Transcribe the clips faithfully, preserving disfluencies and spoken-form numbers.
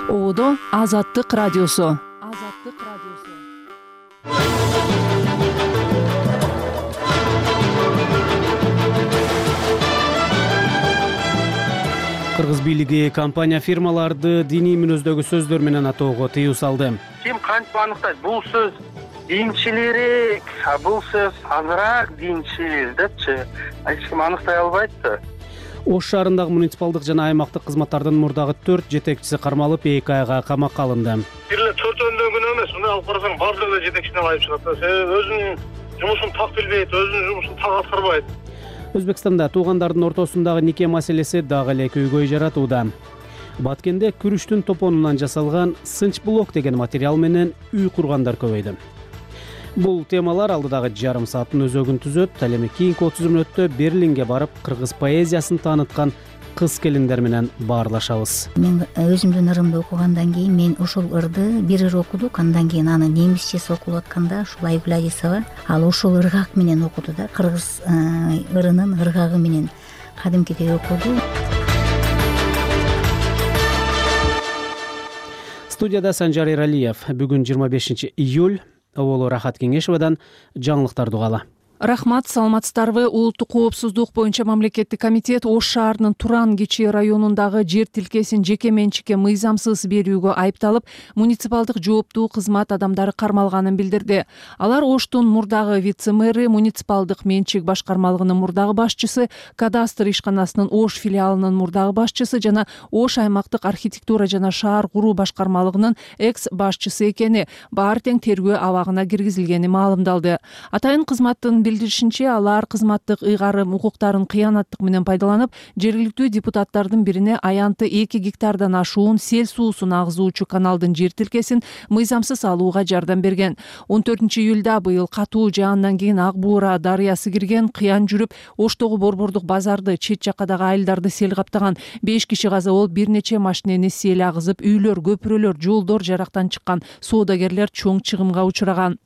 Оодо Азаттык радиосу. Азаттык радиосу. Кыргыз бийлиги компания фирмаларды диний мүнөздөгү сөздөр менен атоого тыюу салды. Ким кантип аныктайт? Бул сөз динчилерик, а бул сөз азыраак динчил депчи. Эч ким аныктай албайт да. Ош шаарындагы муниципалдык жана аймактык кызматтардын мурдагы төрт жетекчиси кармалып, эки айга камакка алынды. Бир эле төртөөнүн күнөө эмес, мына алып карасаң баардыгы жетекчиден айып чыгат да. Себеби өзүнүн жумушун так билбейт, өзүнүн жумушун так аткарбайт. Өзбекстанда туугандардын ортосундагы нике маселеси дагы эле көйгөй жаратууда. Баткенде күрүштүн топонунан жасалган сынч блок деген материал менен үй кургандар көбөйдү. Бул темалар алдыдагы жарым сааттын өзөгүн түзөт. Ал эми кийинки отуз мүнөттө Берлинге барып, кыргыз поэзиясын тааныткан кыз келиндер менен баарлашабыз. Мен өзүмдүн ырымды окугандан кийин мен ошол ырды бир ыр окудук, андан кийин аны немисчеси окулуп атканда ушул Айгүл Адисова ал ошол ыргак менен окуду да, кыргыз ырынын ыргагы менен кадимкидей окуду. Студияда Санжар Эралиев. Бүгүн жыйырма бешинчи июль. Оболу Рахат Кеңешовадан жаңылыктарды угалы. Рахмат, саламатсыздарбы? Улуттук коопсуздук боюнча мамлекеттик комитет Ош шаарынын Туран Кичи районундагы жер тилкесин жеке менчикке мыйзамсыз берүүгө айыпталып, муниципалдык жооптуу кызмат адамдары кармалганын билдирди. Алар Оштун мурдагы вице-мэри, муниципалдык менчик башкармалыгынын мурдагы башчысы, кадастр ишканасынын Ош филиалынын мурдагы башчысы жана Ош аймактык архитектура жана шаар куруу башкармалыгынын экс башчысы экени, баары тең тергөө абагына киргизилгени маалымдалды. Атайын кызматтын билдиришинче, алар кызматтык ыйгарым укуктарын кыянаттык менен пайдаланып, жергиликтүү депутаттардын бирине аянты эки гектардан ашуун сел суусун агызуучу каналдын жер тилкесин мыйзамсыз алууга жардам берген. он төртүнчү июлда быйыл катуу жаандан кийин Ак Буура дарыясы кирген, кыян жүрүп, Оштогу борбордук базарды, чет жаккадагы айылдарды сел каптаган. беш киши каза болуп, бир нече машинени сел агызып, үйлөр, көпүрөлөр, жолдор жарактан чыккан, соодагерлер чоң чыгымга учураган.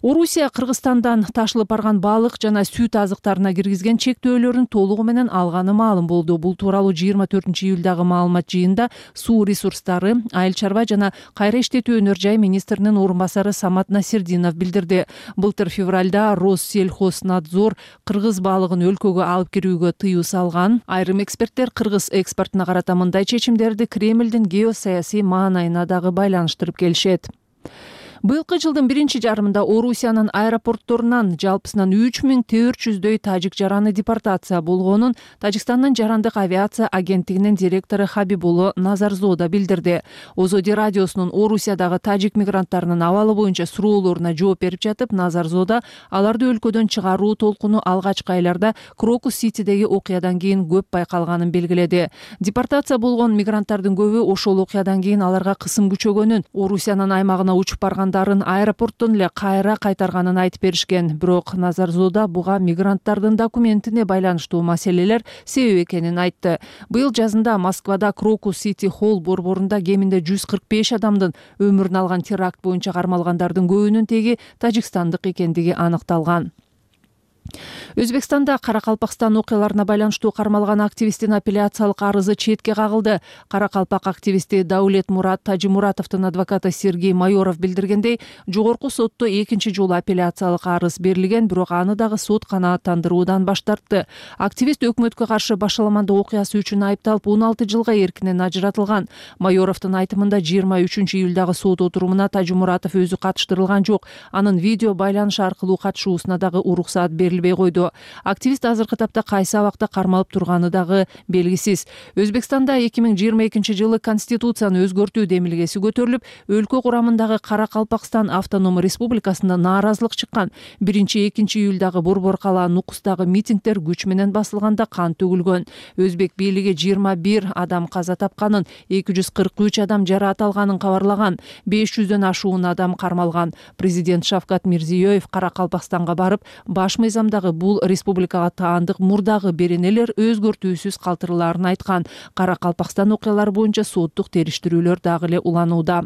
Орусия Кыргызстандан ташылып барган балык жана сүт азыктарына киргизген чектөөлөрүн толугу менен алганы маалым болду. Бул тууралуу жыйырма төртүнчү июлдагы маалымат жыйында суу ресурстары, айыл чарба жана кайра иштетүү өнөр жай министринин орун басары Самат Насирдинов билдирди. Былтыр февралда Россельхознадзор кыргыз балыгын өлкөгө алып кирүүгө тыюу салган. Айрым эксперттер кыргыз экспортуна карата мындай чечимдерди Кремлдин геосаясий маанайына дагы байланыштырып келишет. Быйылкы жылдын биринчи жарымында Орусиянын аэропортторунан жалпысынан үч миң төрт жүздөй тажик жараны депортация болгонун Тажикстандын жарандык авиация агенттигинин директору Хабибулло Назарзода билдирди. Озоди радиосунун Орусиядагы тажик мигранттарынын абалы боюнча суроолоруна жооп берип жатып, Назарзода аларды өлкөдөн чыгаруу толкуну алгачкы айларда Крокус-Ситидеги окуядан кийин көп байкалганын белгиледи. Депортация болгон мигранттардын көбү ошол окуядан кийин аларга кысым күчөгөнүн, Орусиянын аймагына учуп барган аэропорттон эле кайра кайтарганын айтып беришкен. Бирок Назарзода буга мигранттардын документине байланыштуу маселелер себеп экенин айтты. Быйыл жазында Москвада Крокус-Сити Холл борборунда кеминде жүз кырк беш адамдын өмүрүн алган теракт боюнча кармалгандардын көбүнүн теги тажикстандык экендиги аныкталган. Өзбекстанда Каракалпакстан окуяларына байланыштуу кармалган активисттин апелляциялык арызы четке кагылды. Каракалпак активисти Даулет Мурат Тажимуратовдун адвокаты Сергей Майоров билдиргендей, жогорку сотто экинчи жолу апелляциялык арыз берилген, бирок аны дагы сот канааттандыруудан баш тартты. Активист өкмөткө каршы башаламандык окуясы үчүн айыпталып, он алты жылга эркинен ажыратылган. Майоровдун айтымында жыйырма үчүнчү июлдагы сот отурумуна Тажимуратов өзү катыштырылган жок. Анын видео байланыш аркылуу катышуусуна дагы уруксаат берилбей койду. Активист азыркы тапта кайсы абакта кармалып турганы дагы белгисиз. Өзбекстанда эки миң жыйырма экинчи жылы конституцияны өзгөртүү демилгеси көтөрүлүп, өлкө курамындагы Каракалпакстан автоном республикасында нааразылык чыккан. биринчи экинчи июлдагы борбор калаа Нукустагы митингдер күч менен басылганда кан төгүлгөн. Өзбек бийлиги жыйырма бир адам каза тапканын, эки жүз кырк үч адам жараат алганын кабарлаган. беш жүздөн ашуун адам кармалган. Президент Шавкат Мирзиёев Каракалпакстанга барып, баш мыйзамдагы бул республикага таандык мурдагы беренелер өзгөртүүсүз калтырылаарын айткан. Каракалпакстан окуялары боюнча соттук териштирүүлөр дагы эле уланууда.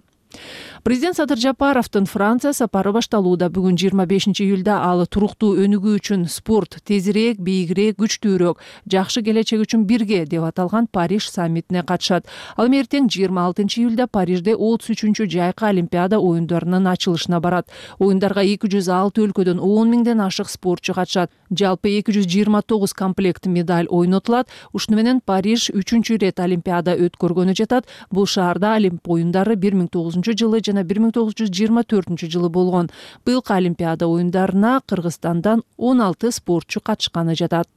Президент Садыр Жапаровдун Франция сапары башталууда. Бүгүн жыйырма бешинчи июлда ал туруктуу өнүгүү үчүн спорт тезирээк, бийигирээк, күчтүүрөөк, жакшы келечек үчүн бирге деп аталган Париж саммитине катышат. Ал эртең жыйырма алтынчы июлда Парижде отуз үчүнчү жайкы Олимпиада оюндарынын ачылышына барат. Оюндарга эки жүз алты өлкөдөн он миңден ашык спортчу катышат. Жалпы эки жүз жыйырма тогуз комплект медаль ойнотулат. Ушуну менен Париж үчүнчү ирет Олимпиада өткөргөнү жатат. Бул шаарда Олимп оюндары бир миң тогуз жүзүнчү жылы жана бир миң тогуз жүз жыйырма төртүнчү жылы болгон. Быйылкы Олимпиада оюндарына Кыргызстандан он алты спортчу катышканы жатат.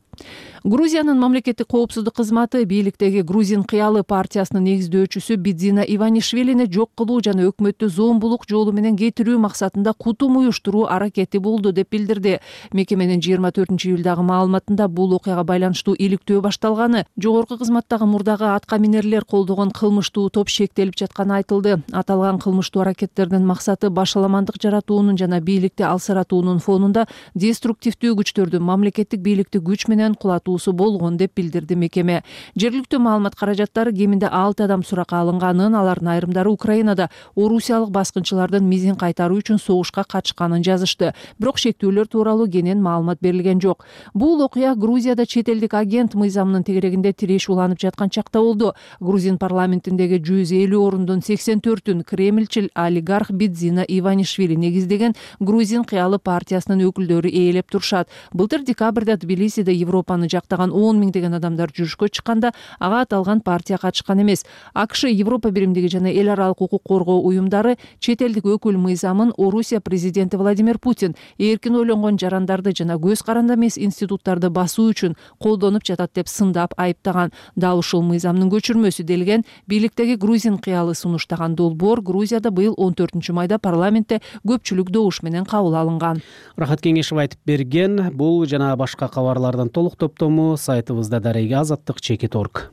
Грузиянын мамлекеттик коопсуздук кызматы бийликтеги Грузин кыялы партиясынын негиздөөчүсү Бидзина Иванишвилини жок кылуу жана өкмөттү зомбулук жолу менен кетирүү максатында кутум уюштуруу аракети болду деп билдирди. Мекеменин жыйырма төртүнчү июлдагы маалыматында бул окуяга байланыштуу иликтөө башталганы, жогорку кызматтагы мурдагы атка минерлер колдогон кылмыштуу топ шектелип жатканы айтылды. Аталган кылмыштуу аракеттердин максаты башаламандык жаратуунун жана бийликти алсыратуунун фонунда деструктивдүү күчтөрдүн мамлекеттик бийликти күч менен кулатуусу болгон деп билдирди мекеме. Жергиликтүү маалымат каражаттары кеминде алты адам суракка алынганын, алардын айрымдары Украинада орусиялык баскынчылардын мизин кайтаруу үчүн согушка катышканын жазышты. Бирок шектүүлөр тууралуу кенен маалымат берилген жок. Бул окуя Грузияда чет элдик агент мыйзамынын тегерегинде тиреш уланып жаткан чакта болду. Грузин парламентиндеги жүз элүү орундун сексен төртүн кремльчил олигарх Бидзина Иванишвили негиздеген Грузин кыялы партиясынын өкүлдөрү ээлеп турушат. Былтыр декабрда Тбилисиде Европаны жактаган он миңдеген адамдар жүрүшкө чыкканда ага аталган партия катышкан эмес. АКШ, Европа биримдиги жана эл аралык укук коргоо уюмдары чет элдик өкүл мыйзамын Орусия президенти Владимир Путин эркин ойлонгон жарандарды жана көз каранды эмес институттарды басуу үчүн колдонуп жатат деп сындап айыптаган. Дал ушул мыйзамдын көчүрмөсү делген бийликтеги Грузин кыялы сунуштаган долбоор Грузияда быйыл он төртүнчү майда парламентте көпчүлүк добуш менен кабыл алынган. Рахат Кеңешев айтып берген. Бул жана башка кабарлардын толук топтому сайтыбызда дареги азаттык чекит орг.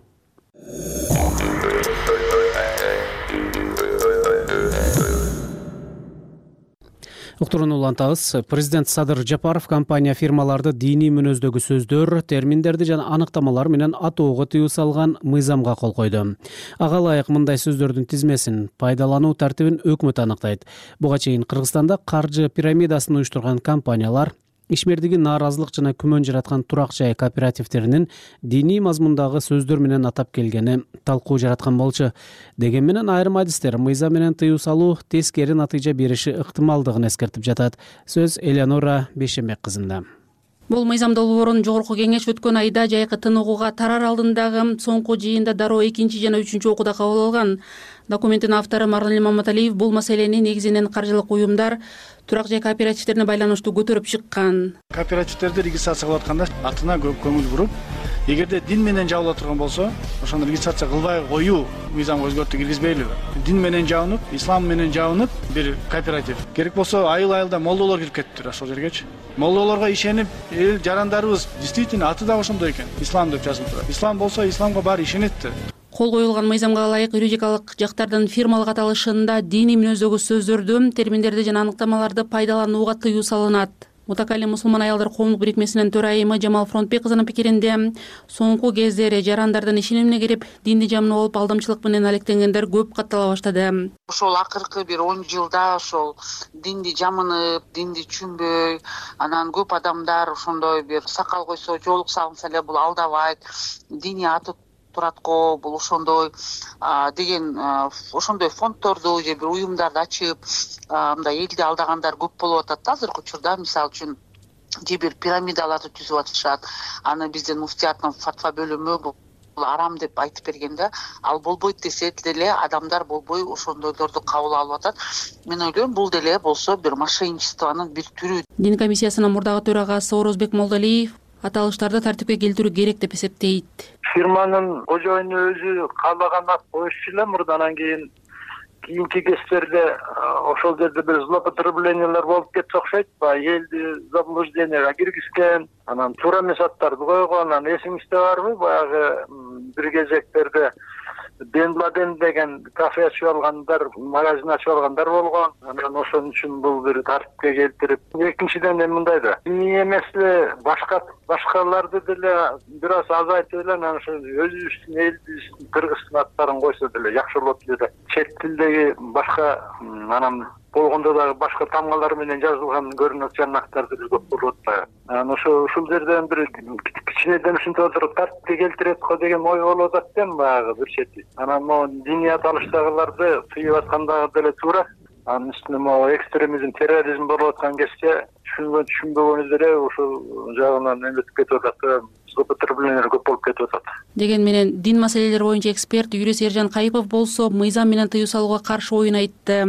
Уктурууну улантабыз. Президент Садыр Жапаров компания фирмаларды диний мүнөздөгү сөздөр, терминдерди жана аныктамалар менен атоого тыюу салган мыйзамга кол койду. Ага ылайык мындай сөздөрдүн тизмесин, пайдалануу тартибин өкмөт аныктайт. Буга чейин Кыргызстанда каржы пирамидасын уюштурган компаниялар ишмердиги нааразылык жана күмөн жараткан турак жай кооперативтеринин диний мазмундагы сөздөр менен атап келгени талкуу жараткан болчу. Деген менен айрым адистер мыйзам менен тыюу салуу тескери натыйжа бериши ыктымалдыгын эскертип жатат. Сөз Элеонора Бейшембек кызында. Бул мыйзам долбоорун жогорку кеңеш өткөн айда жайкы тыныгууга тарар алдындагы соңку жыйында дароо экинчи жана үчүнчү окууда кабыл алган. Документтин автору Марли Маматалиев бул маселени негизинен каржылык уюмдар, турак жай кооперативтерине байланыштуу көтөрүп чыккан. Кооперативтерди регистрация кылып атканда атына көп көңүл буруп, эгерде дин менен жабыла турган болсо, ошону регистрация кылбай коюу мыйзамга өзгөртүү киргизбейлиби? Дин менен жабынып, ислам менен жабынып бир кооператив. Керек болсо айыл-айылда молдолор кирип кетиптир ошол жергечи. Молдолорго ишенип, эл жарандарыбыз действительно аты да ошондой экен. Ислам деп жазылып турат. Ислам болсо исламга баары ишенетти. Кол коюлган мыйзамга ылайык юридикалык жактардын фирмалык аталышында диний мүнөздөгү сөздөрдү, терминдерди жана аныктамаларды пайдаланууга тыюу салынат. Мутакалим мусулман аялдар коомдук бирикмесинин төрайымы Жамал Фронтбек кызынын пикиринде, соңку кездери жарандардын ишенимине кирип, динди жамынып алып алдамчылык менен алектенгендер көп каттала баштады. Ошол акыркы бир он жылда ошол динди жамынып, динди түшүнбөй, анан көп адамдар ошондой бир сакал койсо, жоолук салынса эле бул алдабайт, дини аты турат го, бул ошондой деген ошондой фонддорду же бир уюмдарды ачып, мындай элди алдагандар көп болуп атат азыркы учурда. Мисалы үчүн же бир пирамидаларды түзүп атышат. Аны биздин муфтияттын фатва бөлүмү бул арам деп айтып бергенде, ал болбойт десе деле адамдар болбой ошондойлорду кабыл алып атат. Мен ойлойм, бул деле болсо бир мошенничествонун бир түрү. Дин комиссиясынын мурдагы төрагасы Орозбек Молдалиев аталыштарды тартипке келтирүү керек деп эсептейт. Фирманын кожоюну өзү каалаган ат коюшу эле мурда, анан кийин кийинки кездерде ошол жерде бир злоупотреблениялар болуп кетсе окшойт. Элди заблужденияга киргизген, анан туура эмес аттарды койгон. Анан эсиңизде барбы, баягы бир кезектерде Бен Ладен деген кафе ачып алгандар, магазин ачып алгандар болгон. Анан ошон үчүн бул бир тартипке келтирип, экинчиден эми мындай да, эмне эмес эле башка башкаларды деле бир аз азайтып эле анан ошо өзүбүздүн элибиздин кыргыздын аттарын койсо деле жакшы болот эле. Чет тилдеги башка анан болгондо дагы башка тамгалар менен жазылган көрүнөт жанактар деле көп болот да. Анан ошо ушул жерден бир кичинеден ушинтип отуруп тартипке келтирет го деген ой болуп атат экен баягы бир чети. Анан могу диният алыштагыларды тыйып аткандагы деле туура. Анын үстүнө могу экстремизм, терроризм болуп аткан кезде түшүнгөн түшүнбөгөнү деле ушул жагынан эметип кетип атат, злоупотреблениялар көп болуп кетип атат деген менен дин маселелери боюнча эксперт юрист Эржан Кайыпов болсо мыйзам менен тыюу салууга каршы оюн айтты.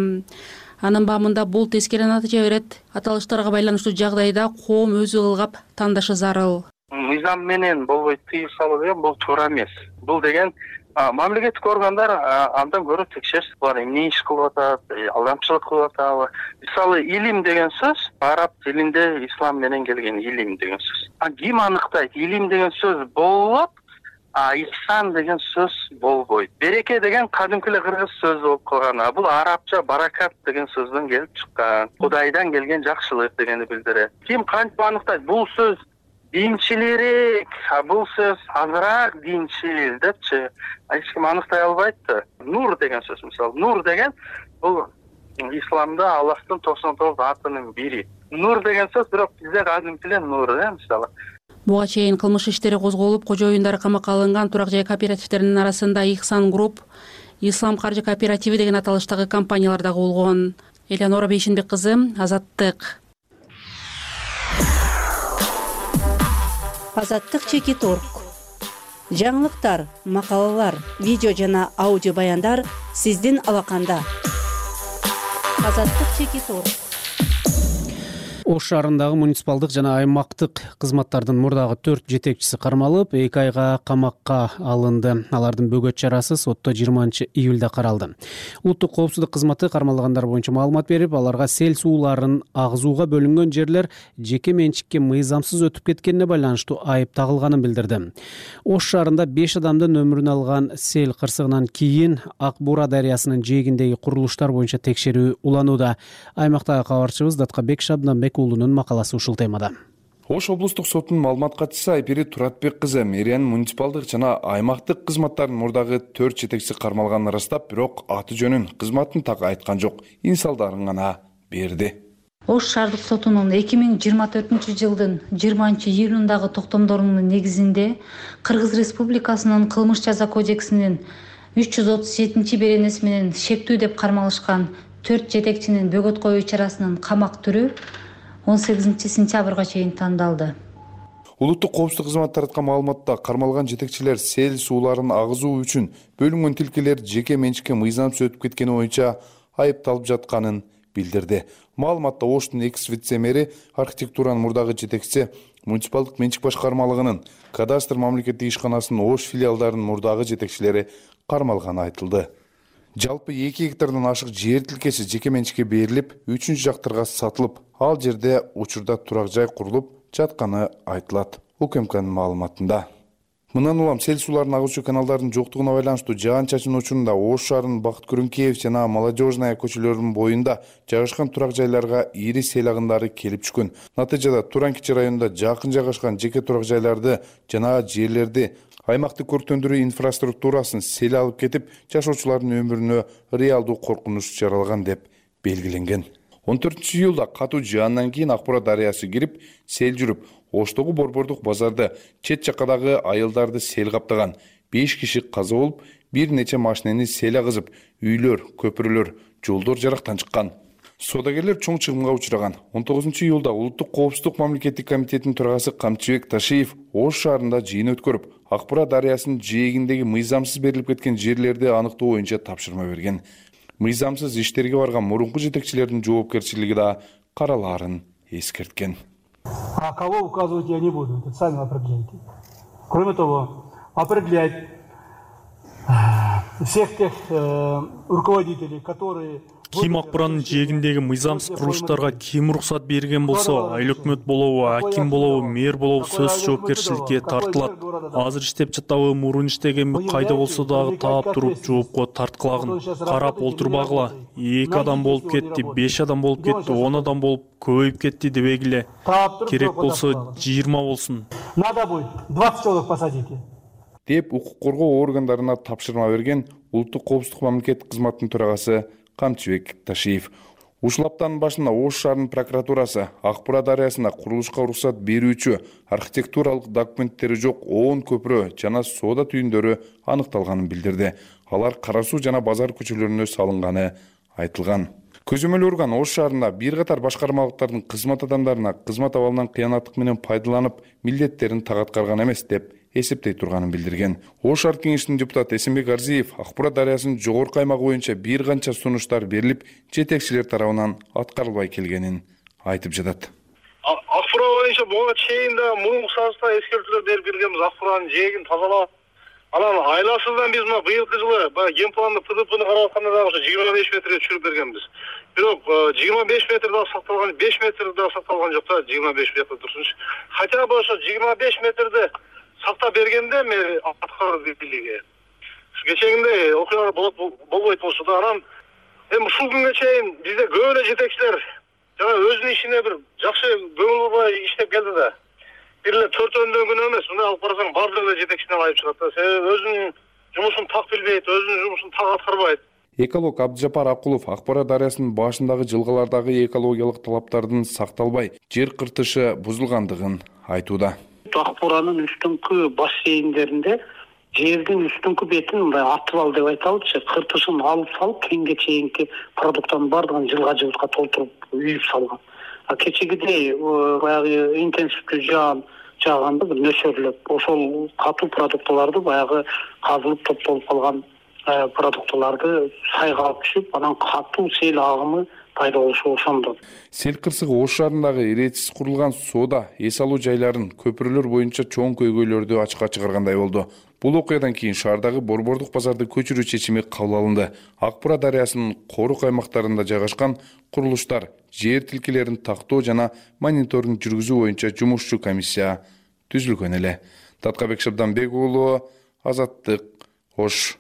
Анын баамында бул тескери натыйжа берет. Аталыштарга байланыштуу жагдайда коом өзү ылгап тандашы зарыл. Мыйзам менен болбой тыюу салуу деген бул туура эмес. Бул деген мамлекеттик органдар андан көрө текшерсин, булар эмне иш кылып атат, алдамчылык кылып атабы. Мисалы, илим деген сөз араб тилинде ислам менен келген илим деген сөз. А ким аныктайт? Илим деген сөз болот, а ихсан деген сөз болбойт. Береке деген кадимки эле кыргыз сөзү болуп калган. А бул арабча баракат деген сөздөн келип чыккан. Кудайдан келген жакшылык дегенди билдирет. Ким кантип аныктайт? Бул сөз динчилерик, а бул сөз азыраак динчил депчи. Эч ким аныктай албайт да. Нур деген сөз мисалы. Нур деген бул исламда Аллахтын токсон тогуз атынын бири. Нур деген сөз бирок бизде кадимки эле нур, э, мисалы. Буга чейин кылмыш иштери козголуп, кожоюндары камакка алынган турак жай кооперативдеринин арасында Ихсан Групп, Ислам каржы кооперативи деген аталыштагы компаниялар дагы болгон. Элеонора Бейшенбек кызы, Азаттык. Азаттык чекит точка орг. Жаңылыктар, макалалар, видео жана аудио баяндар сиздин алаканда. Азаттык чекит точка орг. Ош шаарындагы муниципалдык жана аймактык кызматтардын мурдагы төрт жетекчиси кармалып, эки айга камакка алынды. Алардын бөгөт чарасы сотто жыйырманчы июлда каралды. Улуттук коопсуздук кызматы кармалгандар боюнча маалымат берип, аларга сел сууларын агызууга бөлүнгөн жерлер жеке менчикке мыйзамсыз өтүп кеткенине байланыштуу айып тагылганын билдирди. Ош шаарында беш адамдын өмүрүн алган сел кырсыгынан кийин Ак Буура дарыясынын жээгиндеги курулуштар боюнча текшерүү уланууда. Аймактагы кабарчыбыз Даткабек Шабданбек уулунун макаласы ушул темада. Ош облустук сотунун маалымат катчысы Айпери Туратбек кызы мэриянын муниципалдык жана аймактык кызматтарынын мурдагы төрт жетекчиси кармалганын ырастап, бирок аты жөнүн, кызматын так айткан жок. Инсалдарын гана берди. Ош шаардык сотунун эки миң жыйырма төртүнчү жылдын жыйырманчы июлундагы токтомдорунун негизинде Кыргыз Республикасынын кылмыш жаза кодексинин үч жүз отуз жетинчи беренеси менен шектүү деп кармалышкан төрт жетекчинин бөгөт коюу чарасынын камак түрү он сегизинчи сентябрга чейин тандалды. Улуттук коопсуздук кызматы тараткан маалыматта кармалган жетекчилер сел сууларын агызуу үчүн бөлүнгөн тилкелер жеке менчикке мыйзамсыз өтүп кеткени боюнча айыпталып жатканын билдирди. Маалыматта Оштун экс вице-мэри, архитектуранын мурдагы жетекчиси, муниципалдык менчик башкармалыгынын кадастр мамлекеттик ишканасынын Ош филиалдарынын мурдагы жетекчилери кармалганы айтылды. Жалпы эки гектардан ашык жер тилкеси жеке менчикке берилип, үчүнчү жактарга сатылып, ал жерде учурда турак жай курулуп жатканы айтылат. УКМКнын маалыматында. Мындан улам сел сууларын агуучу каналдардын жоктугуна байланыштуу жаан-чачын учурунда Ош шаарынын Бакыт Күрүнкеев жана Молодежная көчөлөрүнүн боюнда жайгашкан турак жайларга ири сел агындары келип түшкөн. Натыйжада Туран-Кичи районунда жакын жайгашкан жеке турак жайларды жана жерлерди аймактык көрктөндүрүү инфраструктурасын сел алып кетип, жашоочулардын өмүрүнө реалдуу коркунуч жаралган деп белгиленген. он төртүнчү июлда катуу жаандан кийин Ак Буура дарыясы кирип, сел жүрүп, Оштогу борбордук базарды, чет жаккадагы айылдарды сел каптаган. беш киши каза болуп, бир нече машинени сел агызып, үйлөр, көпүрөлөр, жолдор жарактан чыккан. Содагерлер чоң чыгымга учураган. он тогузунчу июлда Улуттук коопсуздук мамлекеттик комитетинин төрагасы Камчыбек Ташиев Ош шаарында жыйын өткөрүп, Ак Буура дарыясынын жээгиндеги мыйзамсыз берилип кеткен жерлерди аныктоо боюнча тапшырма берген. Мыйзамсыз иштерге барган мурунку жетекчилердин жоопкерчилиги да каралаарын эскерткен. А кого указывать я не буду, это сами определяйте. Кроме того, определять всех тех э, руководителей, которые Ким Акбуранын жээгиндеги мыйзамсыз курулуштарга ким уруксат берген болсо, айыл өкмөт болобу, аким болобу, мэр болобу сөзсүз жоопкерчиликке тартылат. Азыр иштеп жатабы, мурун иштегенби, кайда болсо дагы таап туруп жоопко тарткылагын. Карап олтурбагыла. эки адам болуп кетти, беш адам болуп кетти, он адам болуп көбөйүп кетти дебегиле. Керек болсо жыйырма болсун. Надо будет двадцать человек посадите. деп укук коргоо органдарына тапшырма берген улуттук коопсуздук мамлекеттик кызматынын төрагасы Камчыбек Ташиев. Ушул аптанын башында Ош шаарынын прокуратурасы Ак Бура дарыясына курулушка уруксат берүүчү архитектуралык документтери жок он көпүрө жана соода түйүндөрү аныкталганын билдирди. Алар Кара Суу жана Базар көчөлөрүнө салынганы айтылган. Көзөмөл орган Ош шаарында бир катар башкармалыктардын кызмат адамдарына кызмат абалынан кыянаттык менен пайдаланып, милдеттерин так аткарган эмес деп эсептей турганын билдирген. Ош шаар кеңешинин депутаты Эсенбек Арзиев Ак Бура дарыясынын жогорку аймагы боюнча бир канча сунуштар берилип, жетекчилер тарабынан аткарылбай келгенин айтып жатат. Ак Бура боюнча буга чейин да мурунку сазда эскертүүлөр берип келгенбиз. Ак Буранын жээгин тазалап, анан айласыздан биз мына быйылкы жылы баягы генпланды ТДПны карап атканда дагы ошо жыйырма беш метрге түшүрүп бергенбиз. Бирок жыйырма беш метр да сакталган, беш метр да сакталган жок да, жыйырма беш метр турсунчу. Хотя бы ошо жыйырма беш метрди сактап бергенде мен аткаруу бийлиги. Кечээгиндей окуялар болбойт болчу да. Анан эми ушул күнгө чейин бизде көп эле жетекчилер жана өзүнүн ишине бир жакшы көңүл бурбай иштеп келди да. Бир эле төртөөнүн күнү эмес, мына алып карасаң баардыгы эле жетекчиден айып чыгат да. Себеби өзүнүн жумушун так билбейт, өзүнүн жумушун так аткарбайт. Эколог Абдыжапар Акулов Ак Бура дарыясынын башындагы жылгалардагы экологиялык талаптардын сакталбай, жер кыртышы бузулгандыгын айтууда. Ак Буранын үстүңкү бассейндеринде жердин үстүңкү бетин мындай атып ал деп айталычы, кыртышын алып салып, кеңге чейинки продукттардын баардыгын жылга жылга толтуруп үйүп салган. А кечегидей баягы интенсивдүү жаан жааганда бир нөсөрлөп, ошол катуу продуктыларды баягы казылып топтолуп калган продуктыларды сайга алып түшүп, анан катуу сел агымы пайда болушу ошондо. Сел кырсыгы Ош шаарындагы иретсиз курулган соода, эс алуу жайларын, көпүрөлөр боюнча чоң көйгөйлөрдү ачыкка чыгаргандай болду. Бул окуядан кийин шаардагы борбордук базарды көчүрүү чечими кабыл алынды. Ак Бура дарыясынын корук аймактарында жайгашкан курулуштар жер тилкелерин тактоо жана мониторинг жүргүзүү боюнча жумушчу комиссия түзүлгөн эле. Таткабек Шабданбек уулу, Азаттык, Ош.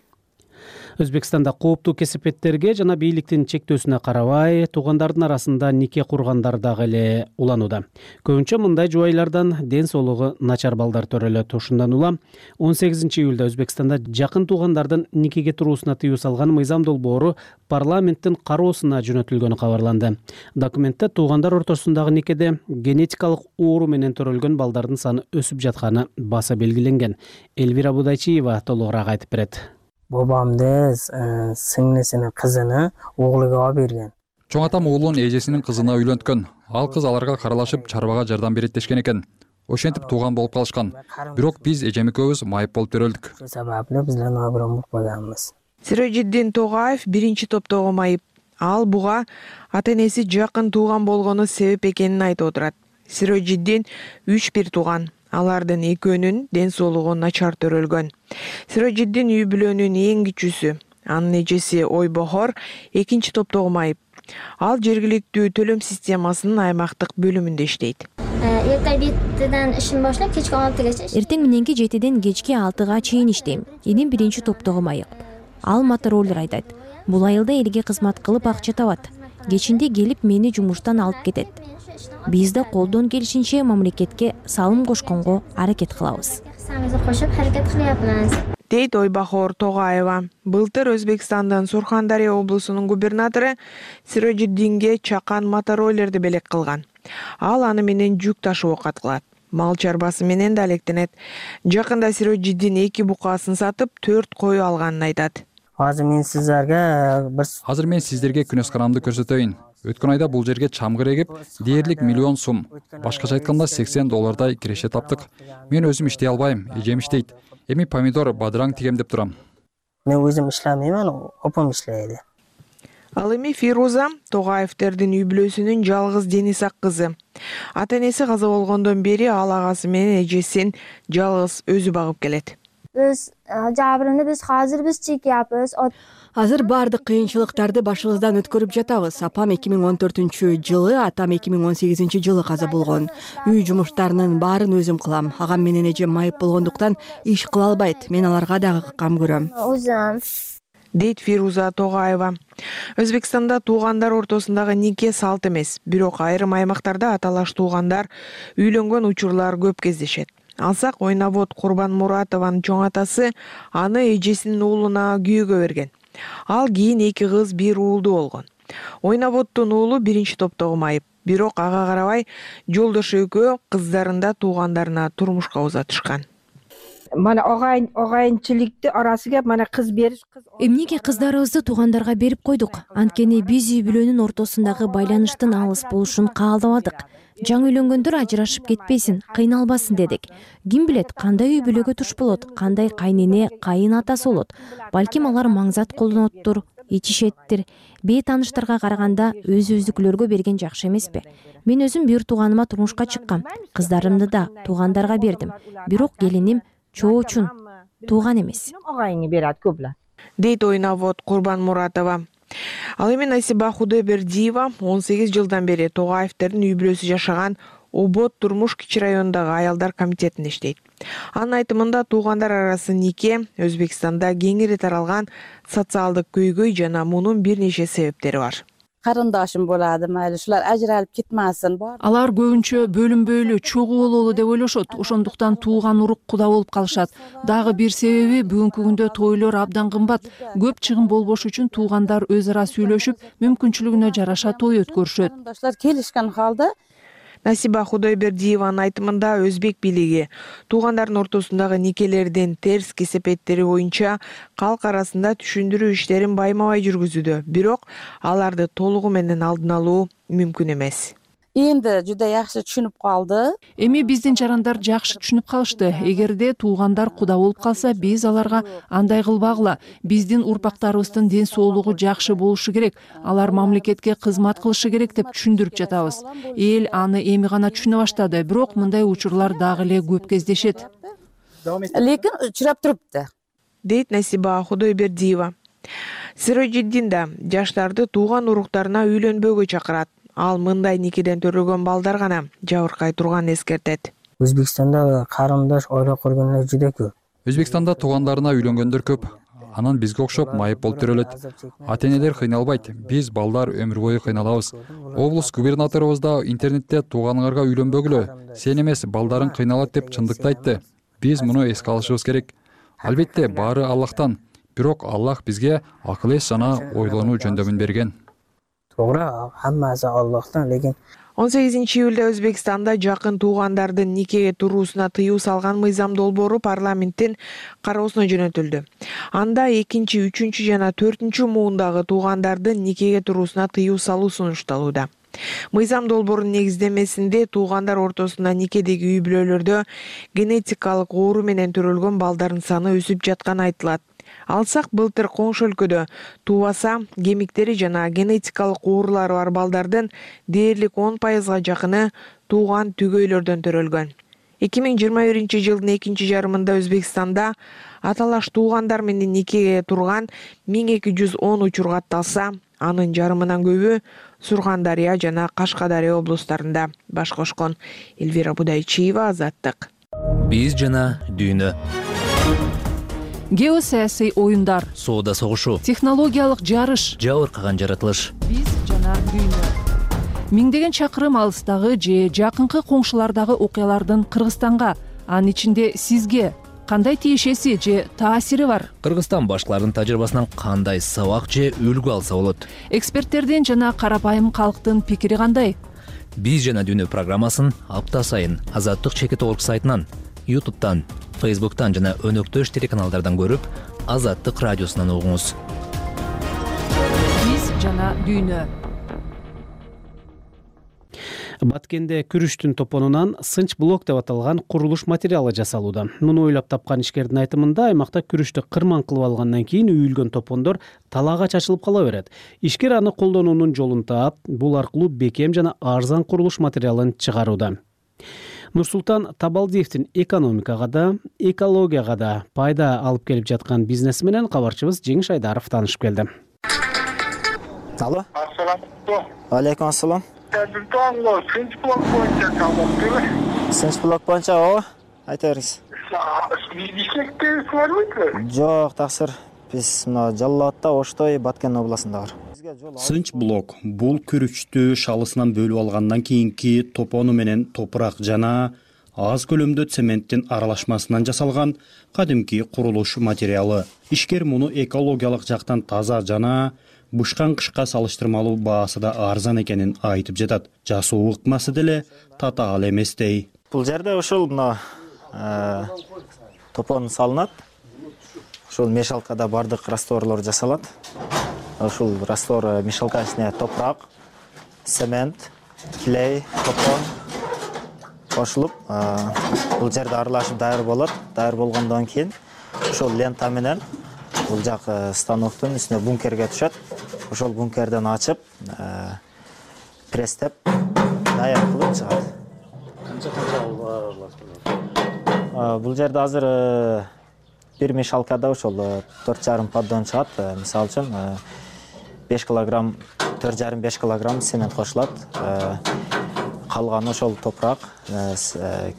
Өзбекстанда кооптуу кесепеттерге жана бийликтин чектөөсүнө карабай, туугандардын арасында нике кургандар дагы эле уланууда. Көбүнчө мындай жубайлардан ден соолугу начар балдар төрөлөт. Ушундан улам он сегизинчи июлда Өзбекстанда жакын туугандардын никеге туруусуна тыюу салган мыйзам долбоору парламенттин кароосуна жөнөтүлгөнү кабарланды. Документте туугандар ортосундагы никеде генетикалык оору менен төрөлгөн балдардын саны өсүп жатканы баса белгиленген. Элвира Будайчиева толугураак айтып берет. Бабамды сиңнисинин кызыны оглуга берген. Чоң атам уулун эжесинин кызына үйлөнткөн. Ал кыз аларга каралашып, чарбага жардам берет дешкен экен. Ошентип тууган болуп калышкан. Бирок биз эжем экөөбүз майып болуп төрөлдүк. Ошол сабаптуу биздер набырам болбаганбыз. Сироджиддин Тогаев биринчи топтогу майып. Ал буга ата-энеси жакын тууган болгону себеп экенин айтып отурат. Сироджиддин үч бир тууган. Алардын экөөнүн ден соолугу начар төрөлгөн. Сироджиддин үй бүлөнүн эң кичүүсү. Анын эжеси Ойбохор экинчи топтогу майып. Ал жергиликтүү төлөм системасынын аймактык бөлүмүндө иштейт. Эртең жетиден ишин баштап, кечки он алтыгача. Эртең мененки жетиден кечки алтыга чейин иштейм. Энем биринчи топтогу майып. Ал мотороллер айдайт. Бул айылда элге кызмат кылып акча табат. Кечинде келип мени жумуштан алып кетет. Биз да колдон келишинче мамлекетке салым кошконго аракет кылабыз. Самызды кошуп аракет кылабыз. Дейт Ойбахор Тогаева. Былтыр Өзбекстандын Сурхандария облусунун губернатору Сироджиддинге чакан мотороллерди белек кылган. Ал аны менен жүк ташуу каткылат. Мал чарбасы менен да алектенет. Жакында Сироджиддин эки букасын сатып, төрт кою алганын айтат. Азыр мен сиздерге бир Азыр мен сиздерге күнөсканамды көрсөтөйүн. Өткөн айда бул жерге чамгыр эгип, дээрлик миллион сум, башкача айтканда сексен доллардай киреше таптык. Мен өзүм иштей албайм, эжем иштейт. Эми помидор, бадыраң тигем деп турам. Мен өзүм иштемеймин, опам иштейт. Ал эми Фируза Тогаевтердин үй бүлөсүнүн жалгыз Денисак кызы. Ата-энеси каза болгондон бери ал агасы менен эжесин жалгыз өзү багып келет. биз жабырны биз азыр биз чекияпыз. Азыр баардык кыйынчылыктарды башыбыздан өткөрүп жатабыз. Апам эки миң он төртүнчү жылы, атам эки миң он сегизинчи жылы каза болгон. Үй жумуштарынын баарын өзүм кылам. Агам менен эжем майып болгондуктан иш кыла албайт. Мен аларга дагы кам көрөм. Өзүм дейт Фируза Тогаева. Өзбекстанда туугандар ортосундагы нике салт эмес, бирок айрым аймактарда аталаш туугандар үйлөнгөн учурлар көп кездешет. Алсак Ойнавод Курбанмуратованын чоң атасы аны эжесинин уулуна күйөөгө берген. Ал кийин эки кыз бир уулду болгон. Ойнаводдун уулу биринчи топтогу майып, бирок ага карабай жолдошу экөө кыздарында туугандарына турмушка узатышкан. Мана огайын огайынчылыкты арасыга мана кыз бериш кыз эмнеге кыздарыбызды туугандарга берип койдук? Анткени биз үй бүлөнүн ортосундагы байланыштын алыс болушун каалабадык. Жаңы үйлөнгөндөр ажырашып кетпесин, кыйналбасын дедик. Ким билет, кандай үй бүлөгө туш болот, кандай кайнене, кайын атасы болот. Балким алар маңзат колдоноттур, ичишеттир. Бейтааныштарга караганда өз-өздүкүлөргө берген жакшы эмеспи? Мен өзүм бир тууганыма турмушка чыккам. Кыздарымды да туугандарга бердим. Бирок келиним чоочун, тууган эмес. огайыны берет көбүлөр. Дейт Ойнавод Курбанмуратова. Ал эми Насиба Худайбердиева он сегиз жылдан бери Тогаевдердин үй бүлөсү жашаган Обод турмуш кичи районундагы аялдар комитетинде иштейт. Анын айтымында туугандар арасы нике Өзбекстанда кеңири таралган социалдык көйгөй жана мунун бир нече себептери бар. Карындашым болады, майли ушулар ажыралып кетмесин. Алар көбүнчө бөлүнбөйлү, чогуу бололу деп ойлошот. Ошондуктан тууган урук куда болуп калышат. Дагы бир себеби бүгүнкү күндө тойлор абдан кымбат. Көп чыгым болбош үчүн туугандар өз ара сүйлөшүп, мүмкүнчүлүгүнө жараша той өткөрүшөт. Карындаштар келишкен халда Насиба Худайбердиеванын айтымында өзбек бийлиги туугандардын ортосундагы никелердин терс кесепеттери боюнча калк арасында түшүндүрүү иштерин байма-бай жүргүзүүдө, бирок аларды толугу менен алдын алуу мүмкүн эмес. Энди жуда жакшы түшүнүп калды. Эми биздин жарандар жакшы түшүнүп калышты. Эгерде туугандар куда болуп калса, биз аларга андай кылбагыла. Биздин урпактарыбыздын ден соолугу жакшы болушу керек. Алар мамлекетке кызмат кылышы керек деп түшүндүрүп жатабыз. Эл аны эми гана түшүнө баштады, бирок мындай учурлар дагы эле көп кездешет. Лекин учурап турупты. Дейт Насиба Худайбердиева. Сироджиддин да жаштарды тууган уруктарына үйлөнбөөгө чакырат. Ал мындай никеден төрөлгөн балдар гана жабыркай турганын эскертет. Өзбекстанда карындаш ойлоп көргөндөр жуга көп. Өзбекстанда туугандарына үйлөнгөндөр көп. Анан бизге окшоп майып болуп төрөлөт. Ата-энелер кыйналбайт. Биз балдар өмүр бою кыйналабыз. Облус губернаторубуз да интернетте тууганыңарга үйлөнбөгүлө, сен эмес балдарың кыйналат деп чындыкты айтты. Биз муну эске алышыбыз керек. Албетте баары Аллахтан, бирок Аллах бизге акыл эс жана ойлонуу жөндөмүн берген. Туура, хаммасы Аллахтан, лекин он сегизинчи июлда Өзбекстанда жакын туугандардын никеге туруусуна тыюу салган мыйзам долбоору парламенттин кароосуна жөнөтүлдү. Анда экинчи, үчүнчү жана төртүнчү муундагы туугандардын никеге туруусуна тыюу салуу сунушталууда. Мыйзам долбоорунун негиздемесинде туугандар ортосунда никедеги үй бүлөлөрдө генетикалык оору менен төрөлгөн балдардын саны өсүп жатканы айтылат. Алсак былтыр коңшу өлкөдө туубаса кемиктери жана генетикалык оорулары бар балдардын дээрлик он пайызга жакыны тууган түгөйлөрдөн төрөлгөн. эки миң жыйырма биринчи жылдын экинчи жарымында Өзбекстанда аталаш туугандар менен никеге турган миң эки жүз он учур катталса, анын жарымынан көбү Сурхандария жана Кашкадария облустарында баш кошкон. Эльвира Будайчиева, Азаттык. Биз жана дүйнө. Геосаясий оюндар, соода согушу, технологиялык жарыш, жабыркаган жаратылыш. Биз жана дүйнө. Миңдеген чакырым алыстагы же жакынкы коңшулардагы окуялардын Кыргызстанга, анын ичинде сизге кандай тиешеси же таасири бар? Кыргызстан башкалардын тажрыйбасынан кандай сабак же үлгү алса болот? Эксперттердин жана карапайым калктын пикири кандай? Биз жана дүйнө программасын апта сайын Азаттык чекит орг сайтынан, ютубтан, фейсбуктан жана өнөктөш телеканалдардан көрүп, Азаттык радиосунан угуңуз. Биз жана дүйнө. Баткенде күрүштүн топонунан сынч блок деп аталган курулуш материалы жасалууда. Муну ойлоп тапкан ишкердин айтымында, аймакта күрүштү кырман кылып алгандан кийин үйүлгөн топондор талаага чачылып кала берет. Ишкер аны колдонуунун жолун таап, бул аркылуу бекем жана арзан курулуш материалын чыгарууда. Нурсултан Табалдиевдин экономикага да, экологияга да пайда алып келип жаткан бизнеси менен кабарчыбыз Жеңиш Айдаров таанышып келди. Алло. Ассаламу Алейкум ассалам. алейкум. Сынч блок боюнча калдыптыр. Сынч блок боюнча ооба. Айта бериңиз. Бишкекте барбайбы? Жок, таксыр. Биз мына Жалал Абадта, Оштой, Баткен областында бар. Сынч блок бул күрүчтү шалысынан бөлүп алгандан кийинки топону менен топурак жана аз көлөмдө цементтин аралашмасынан жасалган кадимки курулуш материалы. Ишкер муну экологиялык жактан таза жана бышкан кышка салыштырмалуу баасы да арзан экенин айтып жатат. Жасоо ыкмасы деле татаал эмес дей. Бул жерде ушул мына топон салынат. Ушул мешалкада бардык растворлор жасалат. Ушул раствор мешалка ичине топурак, цемент, клей, топон кошулуп, бул жерде аралашып даяр болот. Даяр болгондон кийин ушул лента менен бул жак станоктун үстүнө бункерге түшөт. Ошол бункерден ачып, пресстеп даяр кылып чыгат. Канча канча аралашат? Бул жерде азыр бир мешалкада ошол төрт жарым поддон чыгат. Мисалы үчүн беш килограмм, төрт жарым беш килограмм цемент кошулат. Калганы ошол топурак,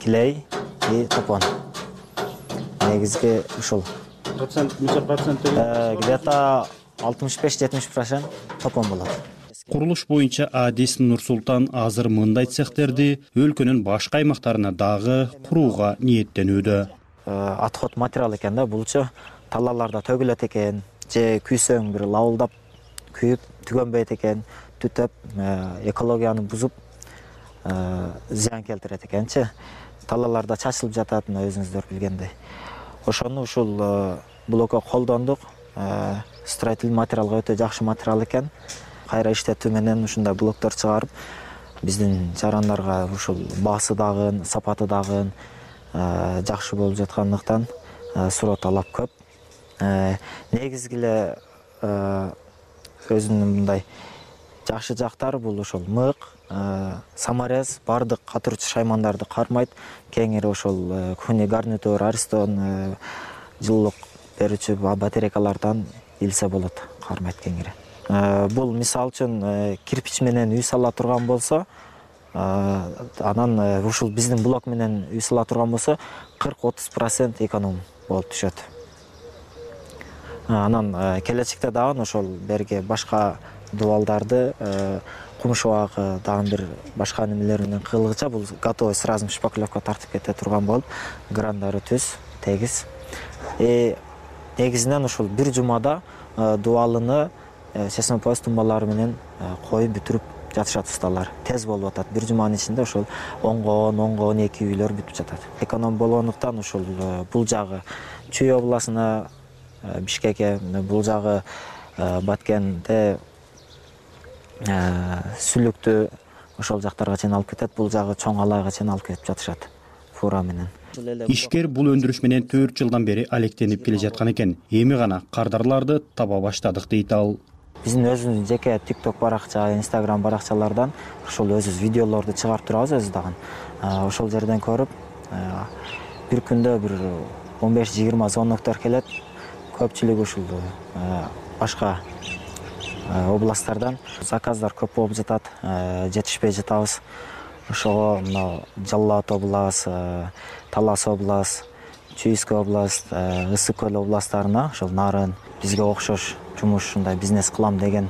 клей и топон. Негизги ушул. Процент, нече процент? Где-то алтымыш беш жетимиш процент топон болот. Курулуш боюнча адис Нурсултан азыр мындай цехтерди өлкөнүн башка аймактарына дагы курууга ниеттенүүдө. Отход материал экен да, булчу талаларда төгүлөт экен, же күйсөң бир лавылдап күйүп түгөнбөйт экен, түтөп экологияны бузуп зыян келтирет экенчи. Талаларда чачылып жатат, өзүңүздөр билгендей. Ошону ушул блокко колдондук. Строительный материалга өтө жакшы материал экен. Кайра иштетүү менен ушундай блоктор чыгарып, биздин жарандарга ушул баасы дагы, сапаты дагы жакшы болуп жаткандыктан суроо талап көп. Негизги эле өзүнүн мындай жакшы жактары бул ошол мык, саморез, бардык катырчу шаймандарды кармайт. Кеңири ошол куни гарнитур, аристон, жылуулук берүүчү батарейкалардан илсе болот, кармайт кеңири. Бул мисалы үчүн кирпич менен үй сала турган болсо, анан ушул биздин блок менен үй сала турган болсо кырк отуз процент эконом болуп түшөт. Анан келечекте дагы ошол берге башка дубалдарды, кумшубак дагы бир башка немелер менен кылгыча бул готовый сразу шпаклевка тартып кете турган болуп, грандары түз, тегиз. Негизинен ушул бир жумада дубалыны чечме пояс тумбалары менен коюп бүтүрүп жатышат усталар. Тез болуп атат. Бир жуманын ичинде ошол онго он, онго он эки үйлөр бүтүп жатат. Эконом болгондуктан ушул бул жагы Чүй областына, Бишкекке, бул жагы Баткенде, Сүлүктү ошол жактарга чейин алып кетет. Бул жагы Чоң Алайга чейин алып кетип жатышат фура менен. Ишкер бул өндүрүш менен төрт жылдан бери алектенип келе жаткан экен. Эми гана кардарларды таба баштадык дейт ал. Биздин өзүбүздүн жеке TikTok баракча, Instagram баракчалардан ошол өзүбүз видеолорду чыгарып турабыз өзү дагы. Ошол жерден көрүп, бир күндө бир он беш жыйырма звоноктор келет. Көпчүлүгү ушул башка областтардан заказдар көп болуп жатат, жетишпей жатабыз. Ошого мына Жалал Абад область, Талас область, Чүйскө область, Ысык көл областтарына, ошол Нарын бизге окшош жумуш ушундай бизнес кылам деген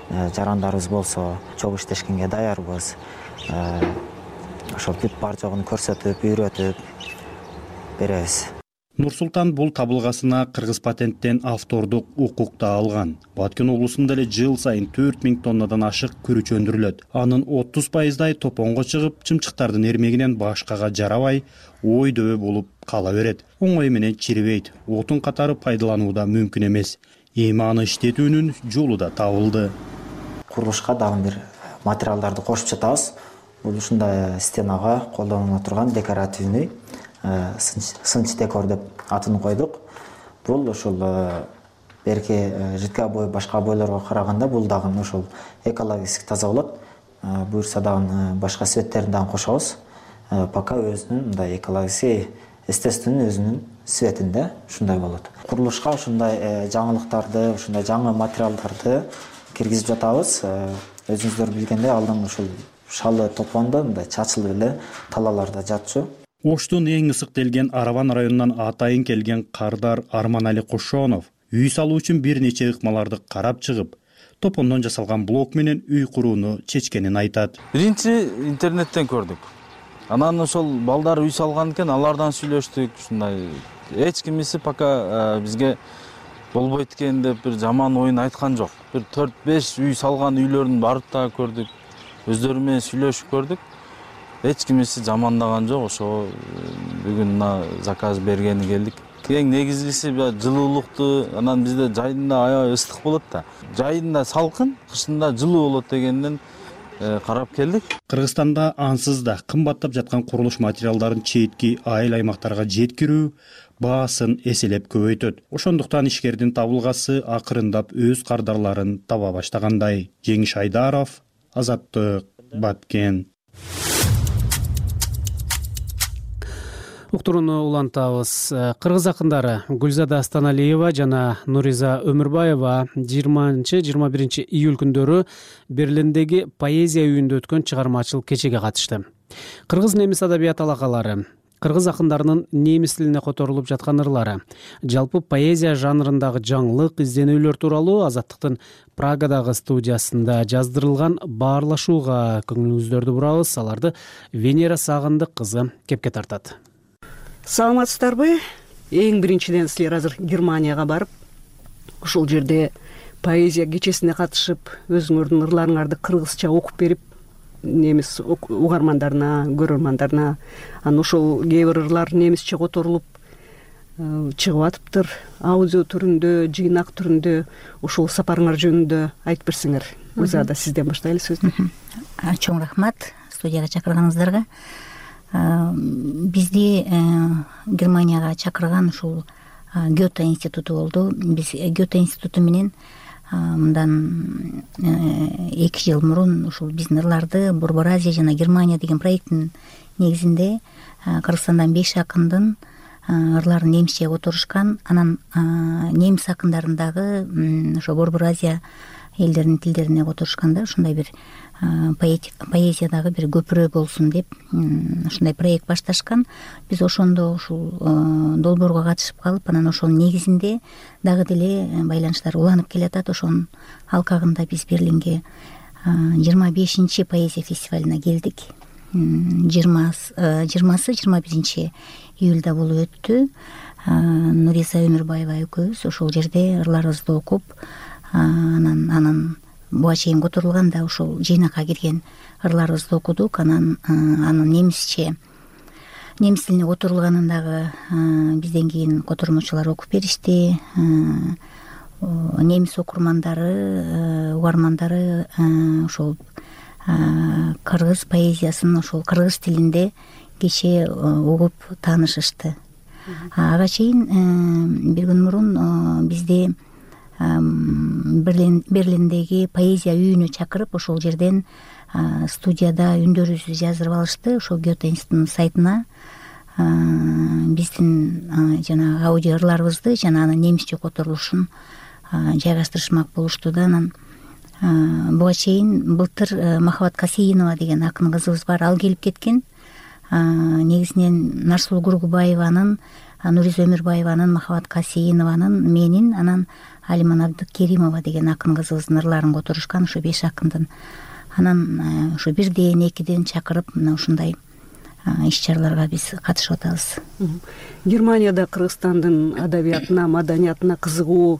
жарандарыбыз болсо, чогуу иштешкенге даярбыз. Ошол бүт бар жогун көрсөтүп, үйрөтүп беребиз. Нурсултан бул табылгасына кыргыз патенттен автордук укук да алган. Баткен облусунда эле жыл сайын төрт миң тоннадан ашык күрүч өндүрүлөт. Анын отуз пайыздай топонго чыгып, чымчыктардын эрмегинен башкага жарабай, ой дөбө болуп кала берет. Оңой менен чирибейт. Отун катары пайдалануу да мүмкүн эмес. Эми аны иштетүүнүн жолу да табылды. Курулушка дагы бир материалдарды кошуп жатабыз. Бул ушундай стенага колдонула турган декоративный сынч декор деп атын койдук. Бул ошол берки жидкий обой башка обойлорго караганда бул дагы ошол экологически таза болот. Буюрса дагы башка цветтерин дагы кошобуз. пока өзүнүн мындай экологический естественный өзүнүн светинде ушундай болот. Курулушка ушундай жаңылыктарды, ушундай жаңы материалдарды киргизип жатабыз. Өзүңүздөр билгендей, алдын ушул шалы топондо мындай чачылып эле талааларда жатчу. Оштун эң ысыктелген Араван районунан атайын келген Кардар Арманали Кошонов үй салуу үчүн бир нече ыкмаларды карап чыгып, топондон жасалган блок менен үй курууну чечкенин айтат. Биринчи интернеттен көрдүк. Анан ошол балдар үй салган экен, алардан сүйлөштүк. Ушундай эч кимиси пока бизге болбойт экен деп бир жаман оюн айткан жок. Бир төрт беш үй салган үйлөрүн барып да көрдүк. Өздөрү менен сүйлөшүп көрдүк. Эч кимиси жамандаган жок. Ошо бүгүн мына заказ бергени келдик. Эң негизгиси жылуулукту, анан бизде жайында аябай ыстык болот да. Жайында салкын, кышында жылуу болот дегенден карап келдик. Кыргызстанда ансыз да кымбаттап жаткан курулуш материалдарын четки айыл аймактарга жеткирүү баасын эселеп көбөйтөт. Ошондуктан ишкердин табылгасы акырындап өз кардарларын таба баштагандай. Жеңиш Айдаров, Азаттык, Баткен. Уктурууну улантабыз. Кыргыз акындары Гүлзада Астаналиева жана Нуриза Өмүрбаева жыйырманчы жыйырма биринчи июль күндөрү Берлиндеги поэзия үйүндө өткөн чыгармачылык кечеге катышты. Кыргыз немис адабият алакалары, кыргыз акындарынын немис тилине которулуп жаткан ырлары, жалпы поэзия жанрындагы жаңылык изденүүлөр тууралуу Азаттыктын Прагадагы студиясында жаздырылган баарлашууга көңүлүңүздөрдү бурабыз. Аларды Венера Сагындык кызы кепке тартат. Саламатсыздарбы? Эң биринчиден силер азыр Германияга барып, ушул жерде поэзия кечесине катышып, өзүңөрдүн ырларыңарды кыргызча окуп берип, немис угармандарына, көрөрмандарына, анан ошол кээ бир ырлар немисче которулуп чыгып атыптыр. Аудио түрүндө, жыйнак түрүндө, ошол сапарыңар жөнүндө айтып берсеңер. Гүлзада, сизден баштайлы сөздү. Чоң рахмат студияга чакырганыңыздарга. Бизди Германияга чакырган ушул Гёте институту болду. Биз Гёте институту менен мындан эки жыл мурун ушул биздин ырларды Борбор Азия жана Германия деген проекттин негизинде Кыргызстандан беш акындын ырларын немисче которушкан. Анан немис акындарындагы ошо Борбор Азия элдеринин тилдерине которушканда ушундай бир поэзиядагы бир көпүрө болсун деп ушундай проект башташкан. Биз ошондо ушул долбоорго катышып калып, анан ошонун негизинде дагы деле байланыштар уланып келатат. Ошонун алкагында биз Берлинге жыйырма бешинчи поэзия фестивалына келдик. жыйырмасы жыйырма биринчи июлда болуп өттү. Нуриза Өмүрбаева экөөбүз ошол жерде ырларыбызды окуп, анан анан буга чейин которулган ошол жыйнакка кирген ырларыбызды окудук. Анан анын немисче немис тилине которулганын дагы бизден кийин котормочулар окуп беришти. Немис окурмандары, угармандары ошол кыргыз поэзиясын ошол кыргыз тилинде кечээ угуп таанышышты. Ага чейин бир күн мурун бизди Берлиндеги поэзия үйүнө чакырып, ошол жерден студияда үндөрүбүздү жаздырып алышты. Ошол Гёте институтунун сайтына биздин жана аудио ырларыбызды жана анын немисче которулушун жайгаштырышмак болушту да. Анан буга чейин былтыр Махабат Касейинова деген акын кызыбыз бар, ал келип кеткен. Негизинен Нарсулуу Кургубаеванын, Нуриза Өмүрбаеванын, Махабат Касейинованын, менин, анан Алиман Абдыкеримова деген акын кызыбыздын ырларын которушкан ушу беш акындын. Анан ушу бирден, экиден чакырып, мына ушундай иш чараларга биз катышып атабыз. Германияда Кыргызстандын адабиятына, маданиятына кызыгуу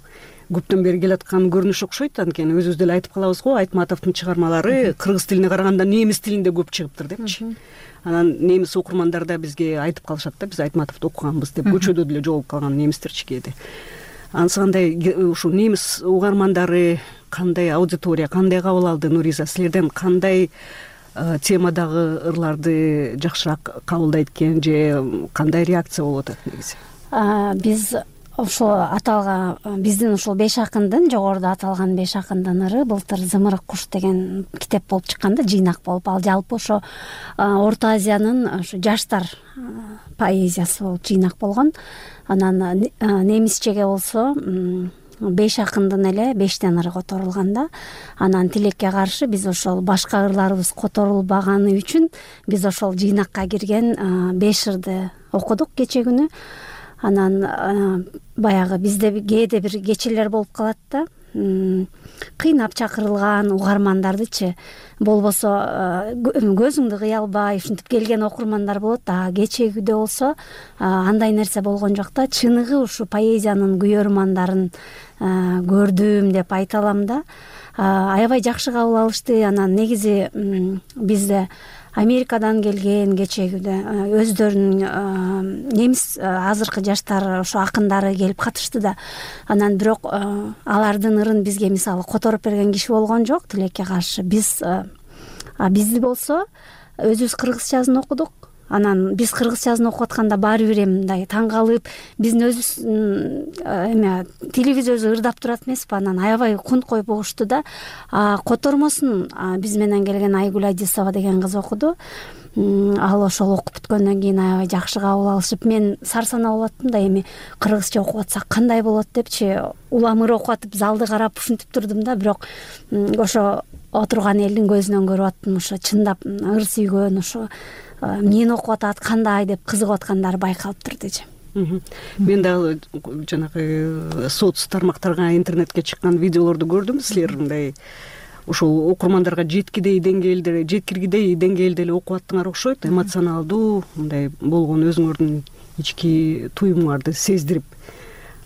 көптөн бери келаткан көрүнүш окшойт. Анткени өзүбүз деле айтып калабыз го, Айтматовдун чыгармалары кыргыз тилине караганда немис тилинде көп чыгыптыр депчи. Анан немис окурмандар да бизге айтып калышат да, биз Айтматовду окуганбыз деп, көчөдө деле жолугуп калган немистерчи кээде. Анысы кандай ушул немис угармандары кандай аудитория, кандай кабыл алды? Нуриза, силерден кандай темадагы ырларды жакшыраак кабылдайт экен же кандай реакция болуп атат негизи? Биз ошол аталган биздин ушул беш акындын жогоруда аталган беш акындын ыры былтыр Зымырык куш деген китеп болуп чыккан да, жыйнак болуп. Ал жалпы ошо Орто Азиянын ошо жаштар поэзиясы болуп жыйнак болгон. Анан немисчеге болсо беш акындын эле бештен ыры которулган да. Анан тилекке каршы биз ошол башка ырларыбыз которулбаганы үчүн биз ошол жыйнакка кирген беш ырды окудук кече күнү. Анан баягы бизде кээде бир кечелер болуп калат да, кыйнап чакырылган угармандардычы болбосо көзүңдү кыя албай ушинтип келген окурмандар болот. А кечегүдө болсо андай нерсе болгон жок да. Чыныгы ушу поэзиянын күйөрмандарын көрдүм деп айта алам да. Аябай жакшы кабыл алышты. Анан негизи бизде Америкадан келген кечегүдө өздөрүнүн немис азыркы жаштар ошо акындары келип катышты да. Анан бирок алардын ырын бизге мисалы которуп берген киши болгон жок тилекке каршы. Биз бизди болсо өзүбүз кыргызчасын окудук. Анан биз кыргызчасын окуп атканда баары бир эми мындай таң калып, биздин өзүбүз эме тилибиз өзү ырдап турат эмеспи. Анан аябай кунт коюп угушту да. Котормосун биз менен келген Айгүл Адисова деген кыз окуду. Ал ошол окуп бүткөндөн кийин аябай жакшы кабыл алышып, мен сарсанаа болуп аттым да, эми кыргызча окуп атсак кандай болот депчи. Улам ыр окуп атып залды карап ушинтип турдум да. Бирок ошо отурган элдин көзүнөн көрүп аттым, ошо чындап ыр сүйгөн, ошо мен окуп атат кандай деп кызыгып аткандары байкалып турдучу. Мен дагы жанагы соц тармактарга, интернетке чыккан видеолорду көрдүм. Силер мындай ошол окурмандарга жеткидей деңгээлде, жеткиргидей деңгээлде эле окуп аттыңар окшойт. Эмоционалдуу мындай болгон өзүңөрдүн ички туюмуңарды сездирип.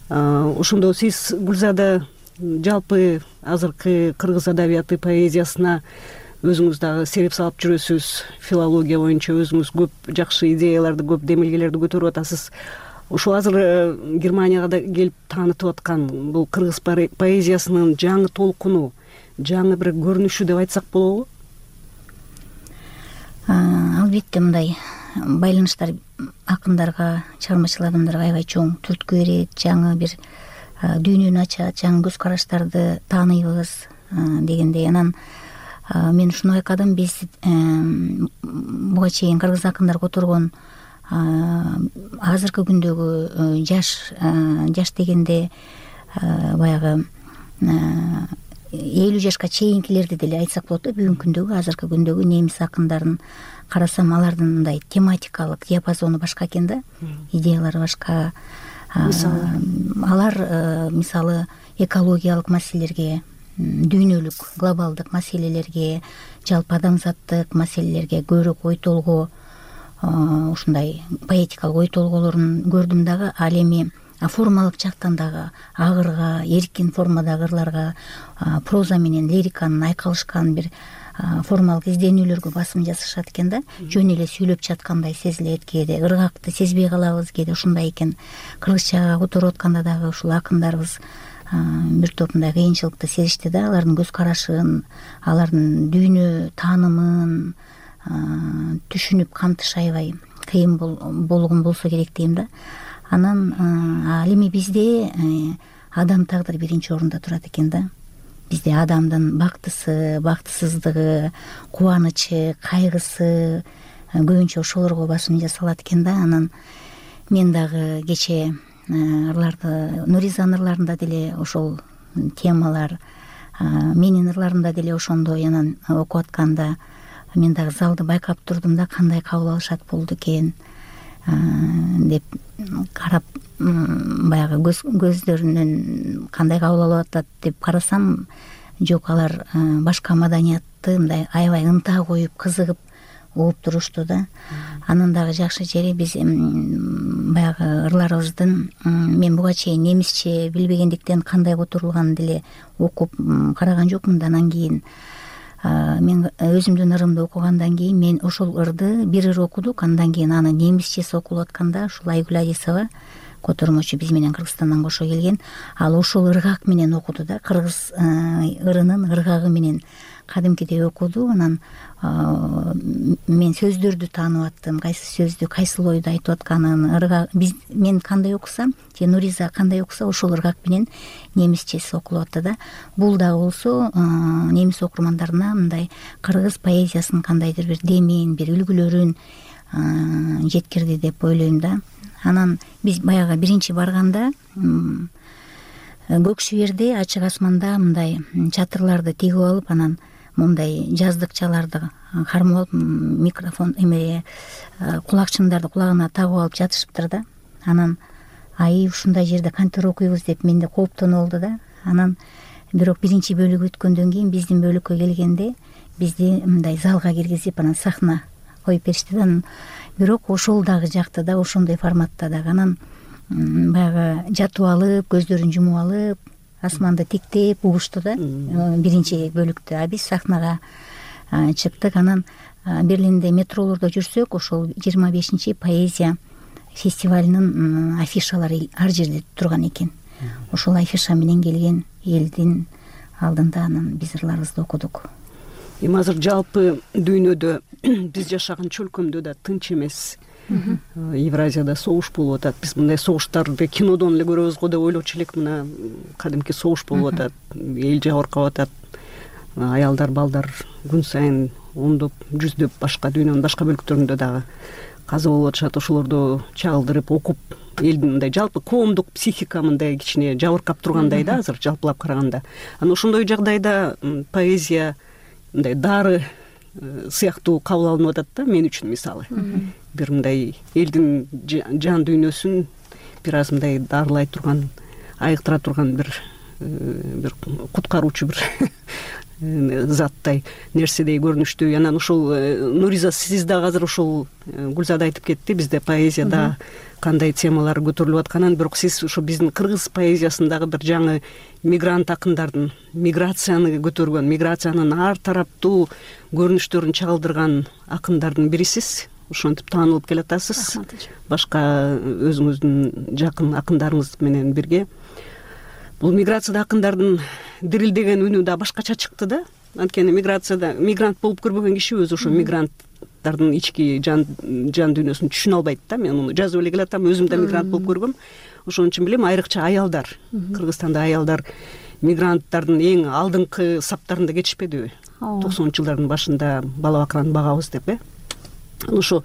Ошондо сиз Гүлзада жалпы азыркы кыргыз адабияты поэзиясына өзүңүз дагы сереп салып жүрөсүз. Филология боюнча өзүңүз көп жакшы идеяларды, көп демилгелерди көтөрүп атасыз. Ошол азыр Германияга да келип таанытып аткан бул кыргыз поэзиясынын жаңы толкуну, жаңы бир көрүнүшү деп айтсак болобу? Албетте мындай байланыштар акындарга, чыгармачыл адамдарга аябай чоң түрткү берет, жаңы бир дүйнөнү ачат, жаңы көз караштарды тааныйбыз дегендей. Анан мен ушуну байкадым, биз буга чейин кыргыз акындар которгон азыркы күндөгү жаш жаш дегенде баягы элүү жашка чейинкилерди деле айтсак болот да. Бүгүнкү күндөгү, азыркы күндөгү немис акындарын карасам, алардын мындай тематикалык диапазону башка экен да, идеялары башка. Алар мисалы экологиялык маселелерге, дүйнөлүк глобалдык маселелерге, жалпы адамзаттык маселелерге көбүрөөк ой толгоо, ушундай поэтикалык ой толголорун көрдүм дагы. Ал эми формалык жактан дагы агырга, эркин формадагы ырларга, проза менен лириканын айкалышкан бир формалык изденүүлөргө басым жасашат экен да. Жөн эле сүйлөп жаткандай сезилет, кээде ыргакты сезбей калабыз, кээде ушундай экен. Кыргызчага которуп атканда дагы ушул акындарыбыз бир топ мындай кыйынчылыкты сезишти да. Алардын көз карашын, алардын дүйнө таанымын түшүнүп камтыш аябай кыйын болгон болсо керек дейм да. Анан ал эми бизде адам тагдыры биринчи орунда турат экен да. Бизде адамдын бактысы, бактысыздыгы, кубанычы, кайгысы көбүнчө ошолорго басым жасалат экен да. Анан мен дагы кече ырларды, Нуризанын ырларында деле ошол темалар, менин ырларымда деле ошондой. Анан окуп атканда мен дагы залды байкап турдум да, кандай кабыл алышат болду экен деп карап, баягы көздөрүнөн кандай кабыл алып атат деп карасам, жок, алар башка маданиятты мындай аябай ынта коюп, кызыгып угуп турушту да. Анын дагы жакшы жери, биз баягы ырларыбыздын мен буга чейин немисче билбегендиктен кандай которулганын деле окуп караган жокмун да. Анан кийин мен өзүмдүн ырымды окугандан кийин мен ошол ырды бир ыр окудук. Андан кийин аны немисчеси окулуп атканда ушул Айгүл Адисова, котормочу, биз менен Кыргызстандан кошо келген, ал ошол ыргак менен окуду да. Кыргыз ырынын ыргагы менен кадимкидей окуду. Анан мен сөздөрдү таанып аттым, кайсы сөздү кайсыл ойду айтып атканын. Ыргак биз мен кандай окусам же Нуриза кандай окуса ошол ыргак менен немисчеси окулуп атты да. Бул дагы болсо немис окурмандарына мындай кыргыз поэзиясынын кандайдыр бир демин, бир үлгүлөрүн жеткирди деп ойлойм да. Анан биз баягы биринчи барганда көк шиберде ачык асманда мындай чатырларды тигип алып, анан мындай жаздыкчаларды кармап алып, микрофон эме кулакчындарды кулагына тагып алып жатышыптыр да. Анан ай ушундай жерде кантип окуйбуз деп менде кооптонуу болду да. Анан бирок биринчи бөлүк өткөндөн кийин биздин бөлүккө келгенде бизди мындай залга киргизип анан сахна коюп беришти да. Бирок ошол дагы жакты да, ошондой форматта дагы. Анан баягы жатып алып, көздөрүн жумуп алып, асманды тиктеп угушту да биринчи бөлүктө. А биз сахнага чыктык. Анан Берлинде метролордо жүрсөк, ошол жыйырма бешинчи поэзия фестивалынын афишалары ар жерде турган экен. Ошол афиша менен келген элдин алдында анан биз ырларыбызды окудук. Эми азыр жалпы дүйнөдө биз жашаган чөлкөмдө да тынч эмес. Евразияда согуш болуп атат. Биз мындай согуштарды кинодон эле көрөбүз го деп ойлочу элек. Мына кадимки согуш болуп атат, эл жабыркап атат. Аялдар, балдар күн сайын ондоп, жүздөп башка дүйнөнүн башка бөлүктөрүндө дагы каза болуп атышат. Ошолорду чагылдырып окуп, элдин мындай жалпы коомдук психика мындай кичине жабыркап тургандай да азыр жалпылап караганда. Анан ошондой жагдайда поэзия мындай дары сыяктуу кабыл алынып атат да мен үчүн мисалы. Бир мындай элдин жан дүйнөсүн бир аз мындай дарылай турган, айыктыра турган бир бир куткаруучу бир заттай нерседей көрүнүштүү. Анан ошол Нуриза, сиз дагы азыр ошол Гүлзада айтып кетти, бизде поэзияда кандай темалар көтөрүлүп атканын. Бирок сиз ошо биздин кыргыз поэзиясындагы бир жаңы мигрант акындардын миграцияны көтөргөн, миграциянын ар тараптуу көрүнүштөрүн чагылдырган акындардын бирисиз. Ошентип таанылып келатасыз. Башка өзүңүздүн жакын акындарыңыз менен бирге. Бул миграцияда акындардын дирилдеген үнү да башкача чыкты да. Анткени миграцияда мигрант болуп көрбөгөн киши өзү ошо мигранттардын ички жан жан дүйнөсүн түшүнө албайт да. Мен муну жазып эле келатам, өзүм да мигрант болуп көргөм. Ошон үчүн билем, айрыкча аялдар, Кыргызстанда аялдар мигранттардын эң алдыңкы саптарында кетишпедиби? токсонунчу жылдардын башында бала бакыраны багабыз деп, э? Ошо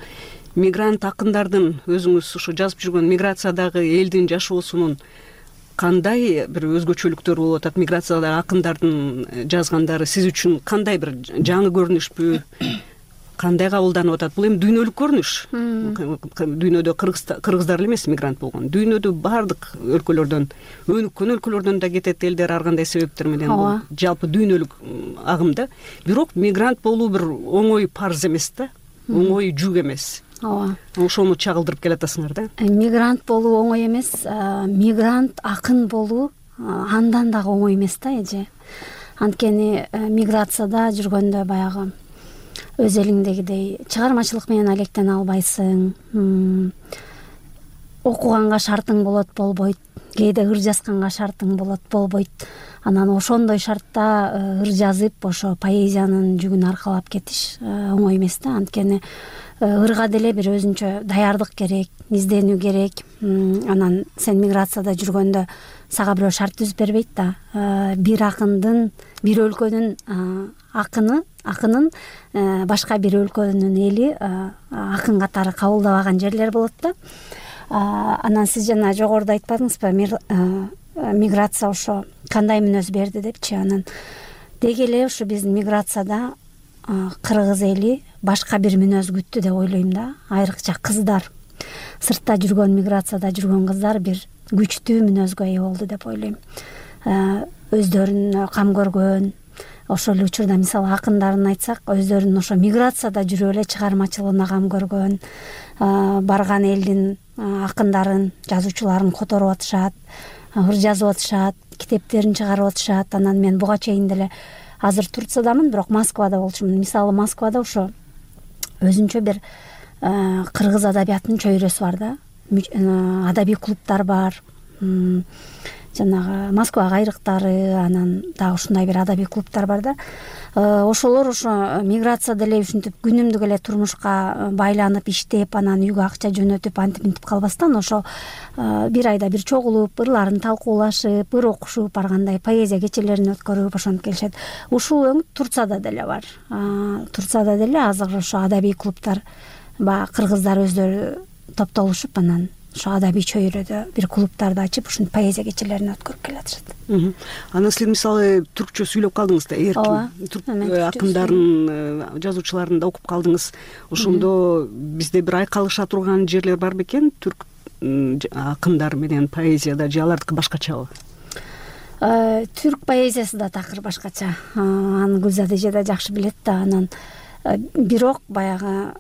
мигрант акындардын өзүңүз ошо жазып жүргөн миграциядагы элдин жашоосунун кандай бир өзгөчөлүктөр болуп атат? Миграциядагы акындардын жазгандары сиз үчүн кандай бир жаңы көрүнүшпү? Кандай кабылданып атат? Бул эми дүйнөлүк көрүнүш. Дүйнөдө кыргыздар эле эмес мигрант болгон. Дүйнөдө баардык өлкөлөрдөн, өнүккөн өлкөлөрдөн да кетет элдер ар кандай себептер менен. Бул жалпы дүйнөлүк агым да. Бирок мигрант болуу бир оңой парз эмес да. Оңой жүк эмес. Ооба. Ошону чагылдырып келатасыңар да. Мигрант болуу оңой эмес, мигрант акын болуу андан дагы оңой эмес да эже. Анткени миграцияда жүргөндө баягы өз элиңдегидей чыгармачылык менен алектене албайсың. Окуганга шартың болот, болбойт. Кээде ыр жазганга шартың болот, болбойт. Анан ошондой шартта ыр жазып, ошо поэзиянын жүгүн аркалап кетиш оңой эмес да. Анткени ырга деле бир өзүнчө даярдык керек, изденүү керек. Анан сен миграцияда жүргөндө сага бирөө шарт түзүп бербейт да. Бир акындын, бир өлкөнүн акыны, акынын башка бир өлкөнүн эли акын катары кабылдабаган жерлер болот да. Анан сиз жана жогоруда айтпадыңызбы, миграция ошо кандай мүнөз берди депчи. Анан деги эле ушу биздин миграцияда кыргыз эли башка бир мүнөз күттү деп ойлойм да. Айрыкча кыздар, сыртта жүргөн, миграцияда жүргөн кыздар бир күчтүү мүнөзгө ээ болду деп ойлойм. Өздөрүн кам көргөн, ошол эле учурда мисалы акындарын айтсак, өздөрүн ошо миграцияда жүрүп эле чыгармачылыгына кам көргөн, барган элдин акындарын, жазуучуларын которуп атышат, ыр жазып атышат, китептерин чыгарып атышат. Анан мен буга чейин деле азыр Турциядамын, бирок Москвада болчумун. Мисалы Москвада ошо өзүнчө бир кыргыз адабиятынын чөйрөсү бар да. Адабий клубтар бар. жанагы Москва кайрыктары, анан дагы ушундай бир адабий клубтар бар да. Ошолор ошо миграция деле ушинтип күнүмдүк эле турмушка байланып иштеп, анан үйгө акча жөнөтүп антип мынтип калбастан ошо бир айда бир чогулуп, ырларын талкуулашып, ыр окушуп, баргандай поэзия кечелерин өткөрүп ошентип келишет. Ушул өң Турцияда деле бар. Турцияда деле азыр ошо адабий клубтар, баягы кыргыздар өздөрү топтолушуп, анан ошо адабий чөйрөдө бир клубтарды ачып, ушинтип поэзия кечелерин өткөрүп келатышат. Анан силер мисалы түркчө сүйлөп калдыңыз да, эркин түрк акындарын, жазуучуларын да окуп калдыңыз. Ошондо бизде бир айкалыша турган жерлер бар бекен, түрк акындар менен поэзияда, же алардыкы башкачабы? Түрк поэзиясы да такыр башкача. Аны Гүлзат эже да жакшы билет да. Анан бирок баягы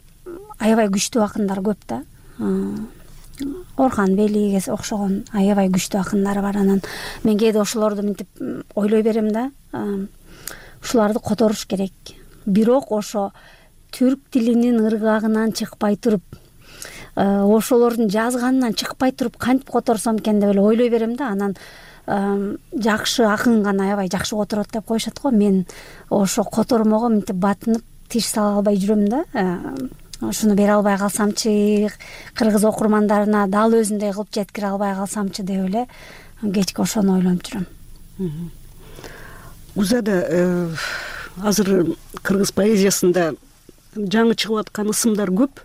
аябай күчтүү акындар көп да. Орхан Велиге окшогон аябай күчтүү акындар бар. Анан мен кээде ошолорду мынтип ойлой берем да. Ушуларды которуш керек. Бирок ошо түрк тилинин ыргагынан чыкпай туруп, ошолордун жазганынан чыкпай туруп кантип которсом экен деп эле ойлой берем да. Анан жакшы акын гана аябай жакшы которот деп коюшат го. Мен ошо котормого мынтип батынып тиш сала албай жүрөм да. Ушуну бере албай калсамчы, кыргыз окурмандарына дал өзүндөй кылып жеткире албай калсамчы деп эле кечке ошону ойлонуп жүрөм. Гүлзада, азыр кыргыз поэзиясында жаңы чыгып аткан ысымдар көп.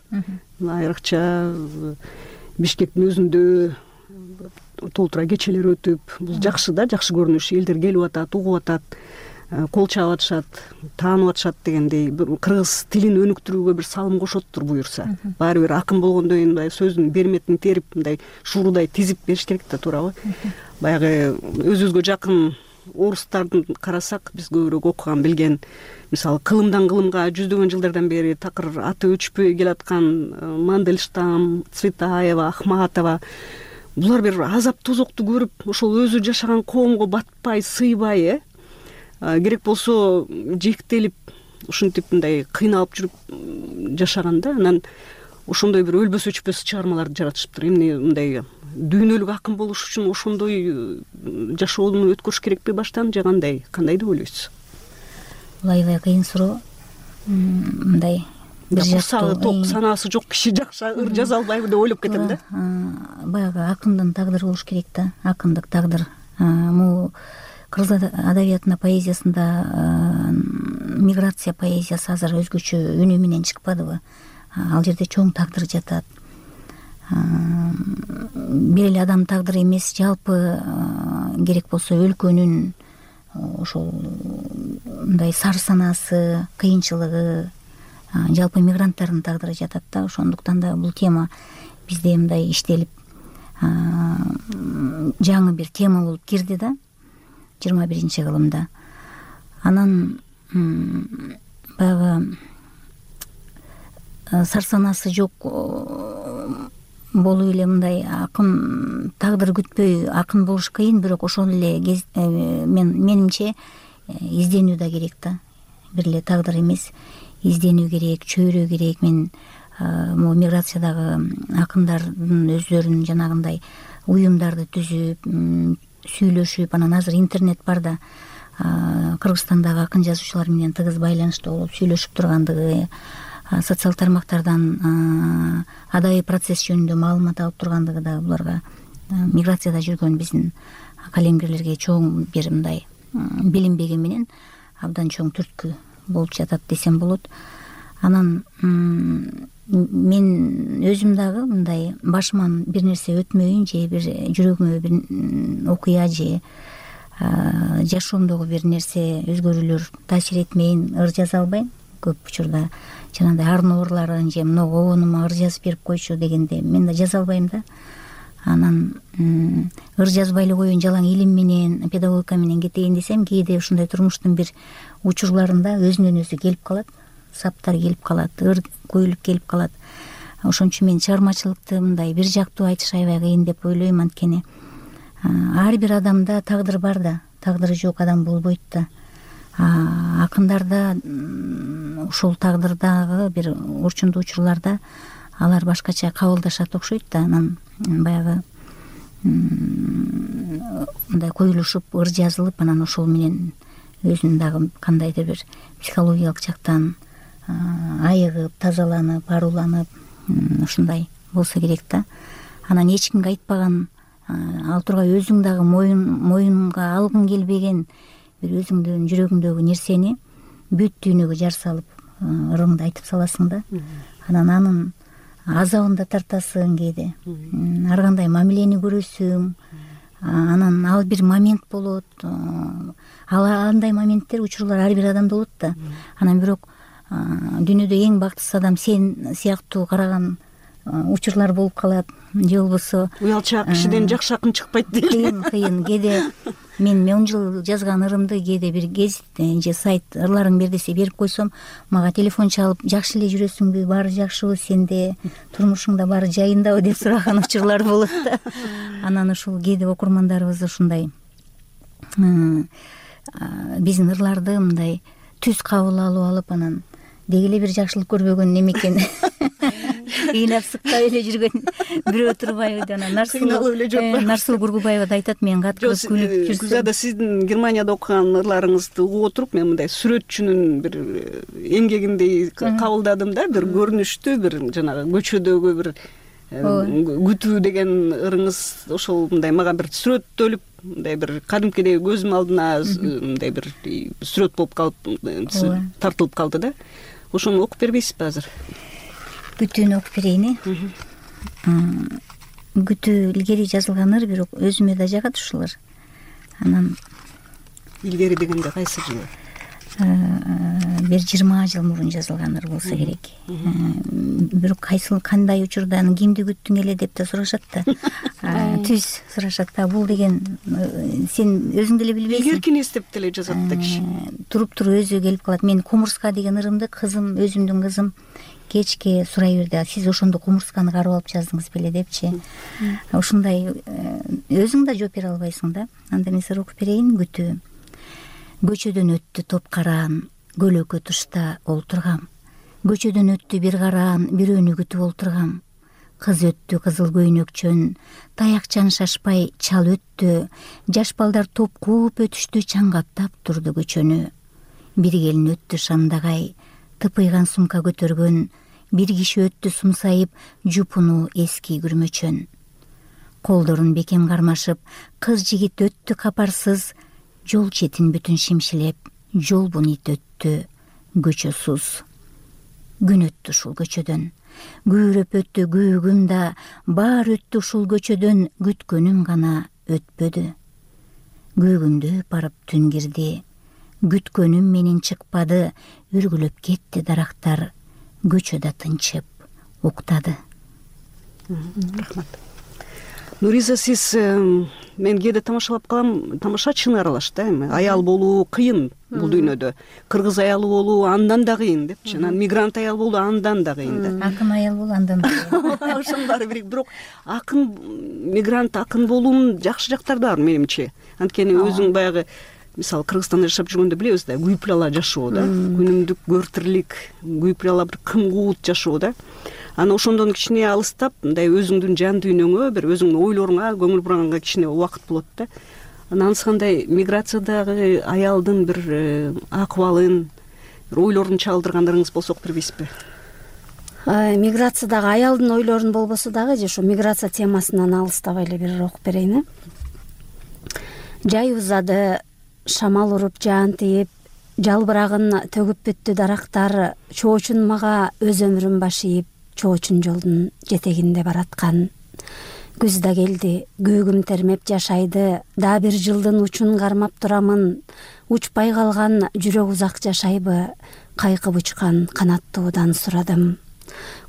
Айрыкча Бишкектин өзүндө толтура кечелер өтүп, бул жакшы да, жакшы көрүнүш. Элдер келип атат, угуп атат, кол чаап атышат, таанып атышат дегендей. Кыргыз тилин өнүктүрүүгө бир салым кошоттур буюрса. Баары бир акын болгондон кийин мындай сөздүн берметин терип, мындай шуурудай тизип бериш керек да, туурабы? Баягы өзүбүзгө жакын орустардын карасак, биз көбүрөөк окуган, билген, мисалы кылымдан кылымга жүздөгөн жылдардан бери такыр аты өчпөй келаткан Мандельштам, Цветаева, Ахматова, булар бир азап тозокту көрүп, ошол өзү жашаган коомго батпай, сыйбай, э керек болсо жектелип, ушинтип мындай кыйналып жүрүп жашаган да. Анан ошондой бир өлбөс өчпөс чыгармаларды жаратышыптыр. Эмне мындай дүйнөлүк акын болуш үчүн ошондой жашоону өткөрүш керекпи баштан, же кандай? Кандай деп ойлойсуз? Бул аябай кыйын суроо. Мындай бир жактуу ток, санаасы жок киши жакшы ыр жаза албайбы деп ойлоп кетем да. Баягы акындын тагдыры болуш керек да, акындык тагдыр. Могу кыргыз адабиятына, поэзиясында миграция поэзиясы азыр өзгөчө үнү менен чыкпадыбы? Ал жерде чоң тагдыр жатат. Бир эле адам тагдыры эмес, жалпы керек болсо өлкөнүн ошол мындай сар санаасы, кыйынчылыгы, жалпы мигранттардын тагдыры жатат да. Ошондуктан да бул тема бизде мындай иштелип жаңы бир тема болуп кирди да, жыйырма биринчи кылымда. Анан баягы сар санаасы жок болуп эле мындай акын тагдыр күтпөй акын болуш кыйын, бирок ошол эле мен менимче изденүү да керек да. Бир эле тагдыр эмес, изденүү керек, чөйрө керек. Мен могу миграциядагы акындардын өздөрүнүн жанагындай уюмдарды түзүп, сүйлөшүп, анан азыр интернет бар да, Кыргызстандагы акын жазуучулар менен тыгыз байланышта болуп сүйлөшүп тургандыгы, социал тармактардан адабий процесс жөнүндө маалымат алып тургандыгы да буларга миграцияда жүргөн биздин калемгерлерге чоң бир мындай билинбеги менен абдан чоң түрткү болуп жатат десем болот. Анан мен өзүм дагы мындай башыман бир нерсе өтмөйүн, же бир жүрөгүмө бир окуя же жашоомдогу бир нерсе өзгөрүүлөр таасир этмейин, ыр жаза албайм. Көп учурда жанагындай арын оорларын же мына обонума ыр жазып берип койчу дегенде мен да жаза албайм да. Анан ыр жазбай эле коеюн, жалаң илим менен, педагогика менен кетейин десем, кээде ушундай турмуштун бир учурларында өзүнөн өзү келип калат, саптар келип калат, ыр көйүлүп келип калат. Ошон үчүн мен чыгармачылыкты мындай бир жактуу айтыш аябай кыйын деп ойлойм. Анткени ар бир адамда тагдыр бар да, тагдыры жок адам болбойт да. Акындарда ушул тагдырдагы бир орчундуу учурларда алар башкача кабылдашат окшойт да. Анан баягы ушундай коюлушуп ыр жазылып, анан ошол менен өзүн дагы кандайдыр бир психологиялык жактан айыгып, тазаланып, аруланып ушундай болсо керек да. Анан эч кимге айтпаган, ал тургай өзүң дагы моюн моюнга алгың келбеген бир өзүңдүн жүрөгүңдөгү нерсени бүт дүйнөгө жар салып ырыңды айтып саласың да. Анан анын азабын да тартасың кээде, ар кандай мамилени көрөсүң. Анан ал бир момент болот, ал андай моменттер, учурлар ар бир адамда болот да. Анан бирок дүйнөдө эң бактысыз адам сен сыяктуу караган учурлар болуп калат, же болбосо уялчаак кишиден жакшы акын чыкпайт дейт. Кыйын кыйын кээде мен он жыл жазган ырымды кээде бир гезит же сайт ырларың бер десе берип койсом, мага телефон чалып, жакшы эле жүрөсүңбү, баары жакшыбы сенде, турмушуңда баары жайындабы деп сураган учурлар болот да. Анан ушул кээде окурмандарыбыз ушундай биздин ырларды мындай түз кабыл алып алып, анан деги эле бир жакшылык көрбөгөн немекен кыйнап сыктап эле жүргөн бирөө турбайбы. Анан Нарсул Кургубаева да айтат, мен кат кылып күлүп жүрсөм. Гүлзада, сиздин Германияда окуган ырларыңызды угуп отуруп, мен мындай сүрөтчүнүн бир эмгегиндей кабылдадым да. Бир көрүнүштүү, бир жанагы көчөдөгү бир күтүү деген ырыңыз ошол мындай мага бир сүрөттөлүп, мындай бир кадимкидей көзүм алдына мындай бир сүрөт болуп калып тартылып калды да. Ошону окуп бербейсизби азыр? Күтүүнү окуп берейин. Күтүү илгери жазылган ыр, бирок өзүмө да жагат ушулар. Анан илгери дегенде кайсы жылы? Бир жыйырма жыл мурун жазылган ыр болсо керек. Бирок кайсы кандай учурдан кимди күттүң эле деп да сурашат да. Түз сурашат да. Бул деген сен өзүң деле билбейсиң. Илгеркини эстеп деле жазат да киши. Туруп туруп өзү келип калат. Мен Кумурска деген ырымды кызым, өзүмдүн кызым кечке сурай берди. Сиз ошондо Кумурсканы карап алып жаздыңыз беле депчи. Ушундай өзүң да жооп бере албайсың да. Анда мен сыр окуп берейин. Күтүү. Көчөдөн өттү топ караан, көлөкө тушта олтургам. Көчөдөн өттү бир караан, бирөөнү күтүп олтургам. Кыз өттү кызыл көйнөкчөн, таякчан шашпай чал өттү. Жаш балдар топ кууп өтүштү, чаңгаптап турду көчөнү. Бир келин өттү шамдагай, тыпыйган сумка көтөргөн. Бир киши өттү сумсайып, жупуну эски күрмөчөн. Колдорун бекем кармашып, кыз жигит өттү капарсыз. Жол четин бүтүн шимшилеп, жол бунит өттү, көчөсүз. Күн өттү ушул көчөдөн, күйрөп өттү күйүгүм да, баар өттү ушул көчөдөн, күткөнүм гана өтпөдү. Күйүгүмдү барып түн кирди, күткөнүм менен чыкпады, үргүлөп кетти дарактар, көчөдө тынчып, уктады. Рахмат. Нуриза, сиз мен кээде тамашалап калам, тамашачыны аралаш да, эми аял болуу кыйын бул дүйнөдө. Кыргыз аялы болуу андан да кыйын депчи. Анан мигрант аял болуу андан да кыйын да. Акын аял болуу андан да кыйын. Ошонун баары бирик, бирок акын мигрант акын болуунун жакшы жактары да бар менимче. Анткени өзүң баягы мисалы Кыргызстанда жашап жүргөндө билебиз да, күйүп жашоо да, күнүмдүк көөртирлик, күйүп бир кымкуут жашоо да. Аны ошондон кичине алыстап, мындай өзүңдүн жан дүйнөңө, бир өзүңдүн ойлоруңа көңүл бураганга кичине убакыт болот да. Анан кандай миграциядагы аялдын бир акыбалын, бир ойлорун чагылдыргандарыңыз болсо окуп бербейсизби? Миграциядагы аялдын ойлорун болбосо дагы, же ошо миграция темасынан алыстабай эле бир окуп берейин. Жай узады, шамал уруп, жаан тийип, жалбырагын төгүп бүттү дарактар, чоочун мага өз өмүрүн башыйып, чоочун жолдун жетегинде бараткан. Күз да келди, күйүгүм термеп жашайды, да бир жылдын учун кармап турамын. Учпай калган жүрөк узак жашайбы, кайкып учкан канаттуудан сурадым.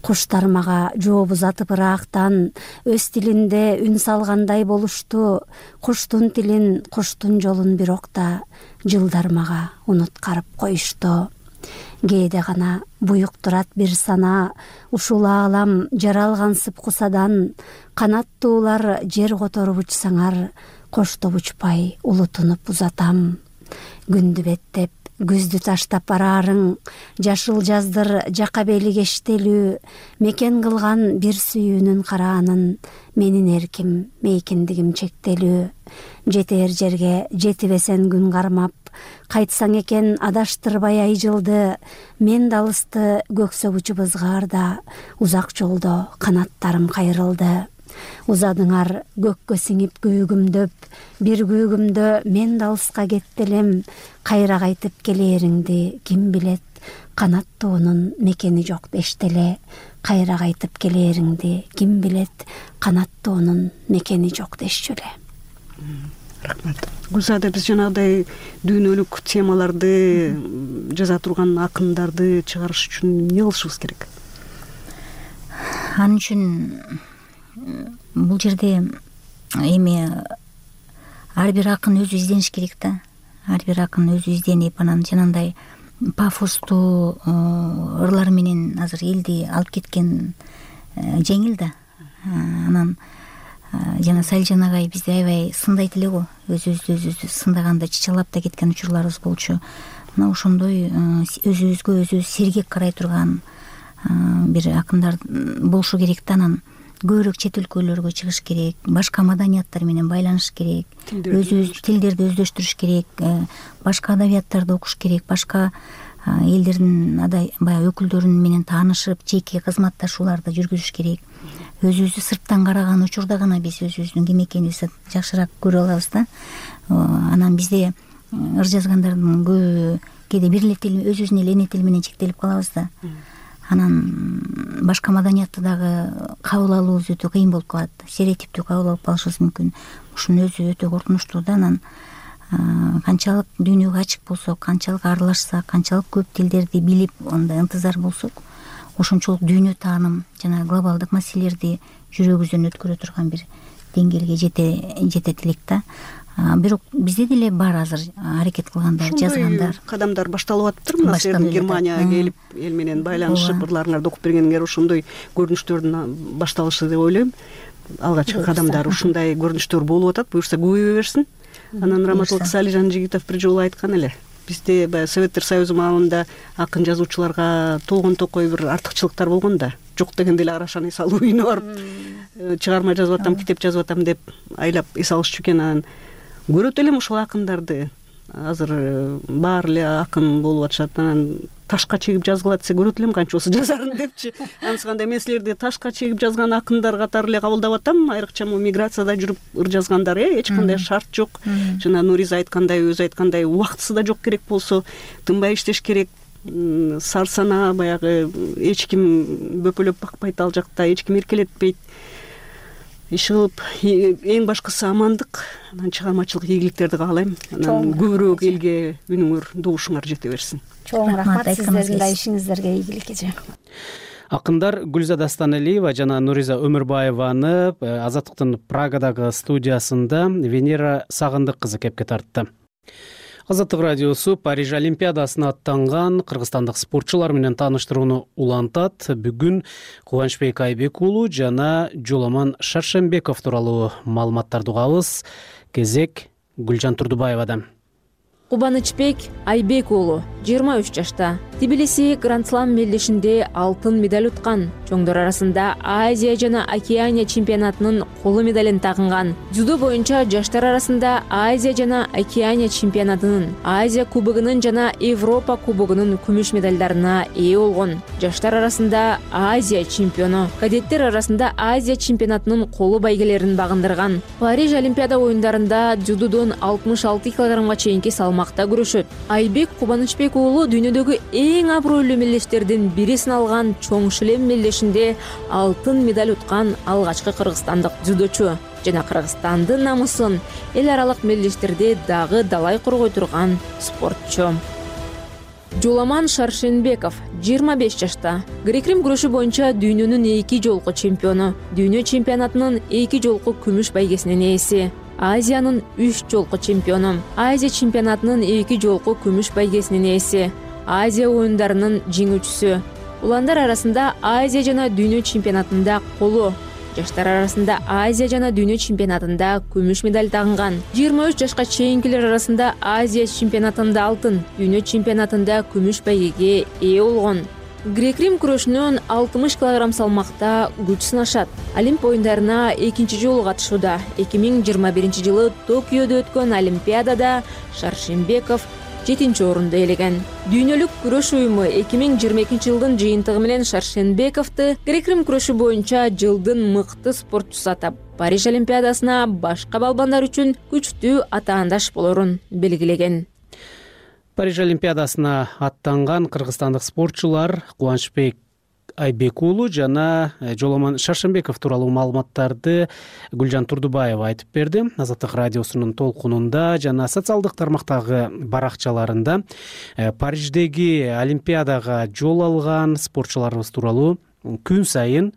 Куштар мага жооп узатып ыраактан, өз тилинде үн салгандай болушту. Куштун тилин, куштун жолун бирок да, жылдар мага унуткарып коюшту. Кээде гана буюк турат бир сана, ушул аалам жаралгансып кусадан. Канаттуулар жер которуп учсаңар, коштоп учпай улутунуп узатам. Күндү беттеп күздү таштап бараарың, жашыл жаздыр жака бели кештелүү, мекен кылган бир сүйүүнүн караанын, менин эрким, мейкиндигим чектелүү. Жетер жерге жетибесен күн кармап, кайтсаң экен адаштырбай ай жылды, мен да алысты көк согучу бызгаарда, узак жолдо канаттарым кайрылды. Узадыңар көккө сиңип күүгүмдөп, бир күүгүмдө мен да алыска кетти элем, кайра кайтып келээриңди ким билет, канаттуунун мекени жок дештеле, кайра кайтып келээриңди ким билет, канаттуунун мекени жок дешчү эле. Рахмат. Гүлзада, биз жанагыдай дүйнөлүк темаларды жаза турган акындарды чыгарыш үчүн эмне кылышыбыз керек? Анын үчүн бул жерде эми ар бир акын өзү издениш керек да. Ар бир акын өзү изденип, анан жанагындай пафостуу ырлар менен азыр элди алып кеткен жеңил да. Анан жана Салижан агай бизди аябай сындайт эле го. Өзүбүздү өзүбүздү сындаганда чычалап да кеткен учурларыбыз болчу. Мына ошондой өзүбүзгө өзүбүз сергек карай турган бир акындар болушу керек да. Анан көбүрөөк чет өлкөлөргө чыгыш керек, башка маданияттар менен байланыш керек, өзүбүз тилдерди өздөштүрүш керек, башка адабияттарды окуш керек, башка элдердин баягы өкүлдөрү менен таанышып, жеке кызматташууларды жүргүзүш керек. Өзүбүздү сырттан караган учурда гана биз өзүбүздүн ким экенибизди жакшыраак көрө алабыз да. Анан бизде ыр жазгандардын көбү кээде бир эле тил, өзүбүздүн эле эне тили менен чектелип калабыз да. Анан башка маданиятты дагы кабыл алуубуз өтө кыйын болуп калат. Стереотиптүү кабыл алып калышыбыз мүмкүн. Ушунун өзү өтө коркунучтуу да. Анан канчалык дүйнөгө ачык болсок, канчалык аралашсак, канчалык көп тилдерди билип, андай ынтызар болсок, ошончолук дүйнө тааным жана глобалдык маселелерди жүрөгүбүздөн өткөрө турган бир деңгээлге жете жетет элек да. Бирок бизде деле бар азыр аракет кылгандар, жазгандар. Кадамдар башталып атыптыр. Мына сиздин Германияга келип, эл менен байланышып, ырларыңарды окуп бергениңер ошондой көрүнүштөрдүн башталышы деп ойлойм. Алгачкы кадамдар ушундай көрүнүштөр болуп атат. Буюрса көбөйө берсин. Анан Раматылык Салижан Жигитов бир жолу айткан эле. Бизде баягы Советтер Союзу маалында акын жазуучуларга толгон токой бир артыкчылыктар болгон да. Жок дегенде эле Арашаны эс алуу үйүнө барып чыгарма жазып атам, китеп жазып атам деп айлап эс алышчу экен. Анан көрөт элем ушул акындарды. Азыр баары эле акын болуп атышат. Анан ташка чегип жазгыла десе көрөт элем канчоосу жазарын депчи. Анысыкандай мен силерди ташка чегип жазган акындар катары эле кабылдап атам. Айрыкча могу миграцияда жүрүп ыр жазгандар, э эч кандай шарт жок. Жана Нуриза айткандай, өзү айткандай, убактысы да жок керек болсо, тынбай иштеш керек. Сарсана баягы эч ким бөпөлөп бакпайт ал жакта, эч ким эркелетпейт. Иш кылып, эң башкысы амандык, анан чыгармачылык ийгиликтерди каалайм. Анан көбүрөөк элге үнүңөр, добушуңар жете берсин. Чоң рахмат сиздердин да ишиңиздерге ийгилик эже. Акындар Гүлзада Станалиева жана Нуриза Өмүрбаеваны Азаттыктын Прагадагы студиясында Венера Сагындык кызы кепке тартты. Азаттык радиосу Париж Олимпиадасына аттанган кыргызстандык спортчулар менен тааныштырууну улантат. Бүгүн Кубанычбек Айбек уулу жана Жоламан Шаршембеков тууралуу маалыматтарды угабыз. Кезек Гүлжан Турдубаевадан. Кубанычбек Айбек уулу жыйырма үч жашта. Тбилиси Гранд-слам мелдешинде алтын медаль уткан. Чоңдор арасында Азия жана Океания чемпионатынын коло медалин тагынган. Дзюдо боюнча жаштар арасында Азия жана Океания чемпионатынын, Азия кубогунун жана Европа кубогунун күмүш медалдарына ээ болгон. Жаштар арасында Азия чемпиону, кадеттер арасында Азия чемпионатынын коло байгелерин багындырган. Париж Олимпиада оюндарында дзюдодон алтымыш алты килограммга чейинки салмакта күрөшөт. Айбек Кубанычбек уулу дүйнөдөгү эң абройлуу мелдештердин бири саналган чоң шлем мелдешинде алтын медаль уткан алгачкы кыргызстандык дзюдочу жана Кыргызстандын намысын эл аралык мелдештерде дагы далай коргой турган спортчу. Жоламан Шаршенбеков жыйырма беш жашта. Грек-рим күрөшү боюнча дүйнөнүн эки жолку чемпиону, дүйнө чемпионатынын эки жолку күмүш байгесинин ээси. Азиянын үч жолку чемпиону, Азия чемпионатынын эки жолку күмүш байгесинин ээси, Азия оюндарынын жеңүүчүсү. Уландар арасында Азия жана дүйнө чемпионатында коло, жаштар арасында Азия жана дүйнө чемпионатында күмүш медаль тагынган. жыйырма үч жашка чейинкилер арасында Азия чемпионатында алтын, дүйнө чемпионатында күмүш байгеге ээ болгон. Грек-рим күрөшүнөн алтымыш килограмм салмакта күч сынашат. Олимп оюндарына экинчи жолу катышууда. эки миң жыйырма биринчи жылы Токиодо өткөн Олимпиадада Шаршенбеков жетинчи орунду ээлеген. Дүйнөлүк күрөш уюму эки миң жыйырма экинчи жылдын жыйынтыгы менен Шаршенбековду грек-рим күрөшү боюнча жылдын мыкты спортчусу атап, Париж Олимпиадасына башка балбандар үчүн күчтүү атаандаш болорун белгилеген. Париж Олимпиадасына аттанган кыргызстандык спортчулар Кубанычбек Айбек уулу жана Жоломон Шаршенбеков тууралуу маалыматтарды Гүлжан Турдубаева айтып берди. Азаттык радиосунун толкунунда жана социалдык тармактагы баракчаларында Париждеги Олимпиадага жол алган спортчуларыбыз тууралуу күн сайын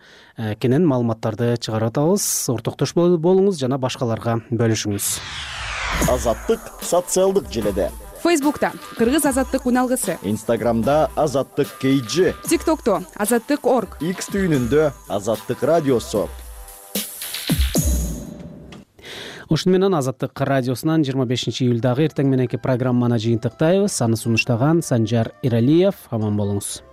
кенен маалыматтарды чыгарып атабыз. Ортоктош болуңуз жана башкаларга бөлүшүңүз. Азаттык социалдык желеде. Фейсбукта Кыргыз азаттык уналгысы, Инстаграмда Азаттык кей джи, ТикТокто Азаттык орг, X түйүнүндө Азаттык радиосу. Ушуну менен Азаттык радиосунан жыйырма бешинчи июлдагы эртең мененки программаны жыйынтыктайбыз. Аны сунуштаган Санжар Иралиев. Аман болуңуз.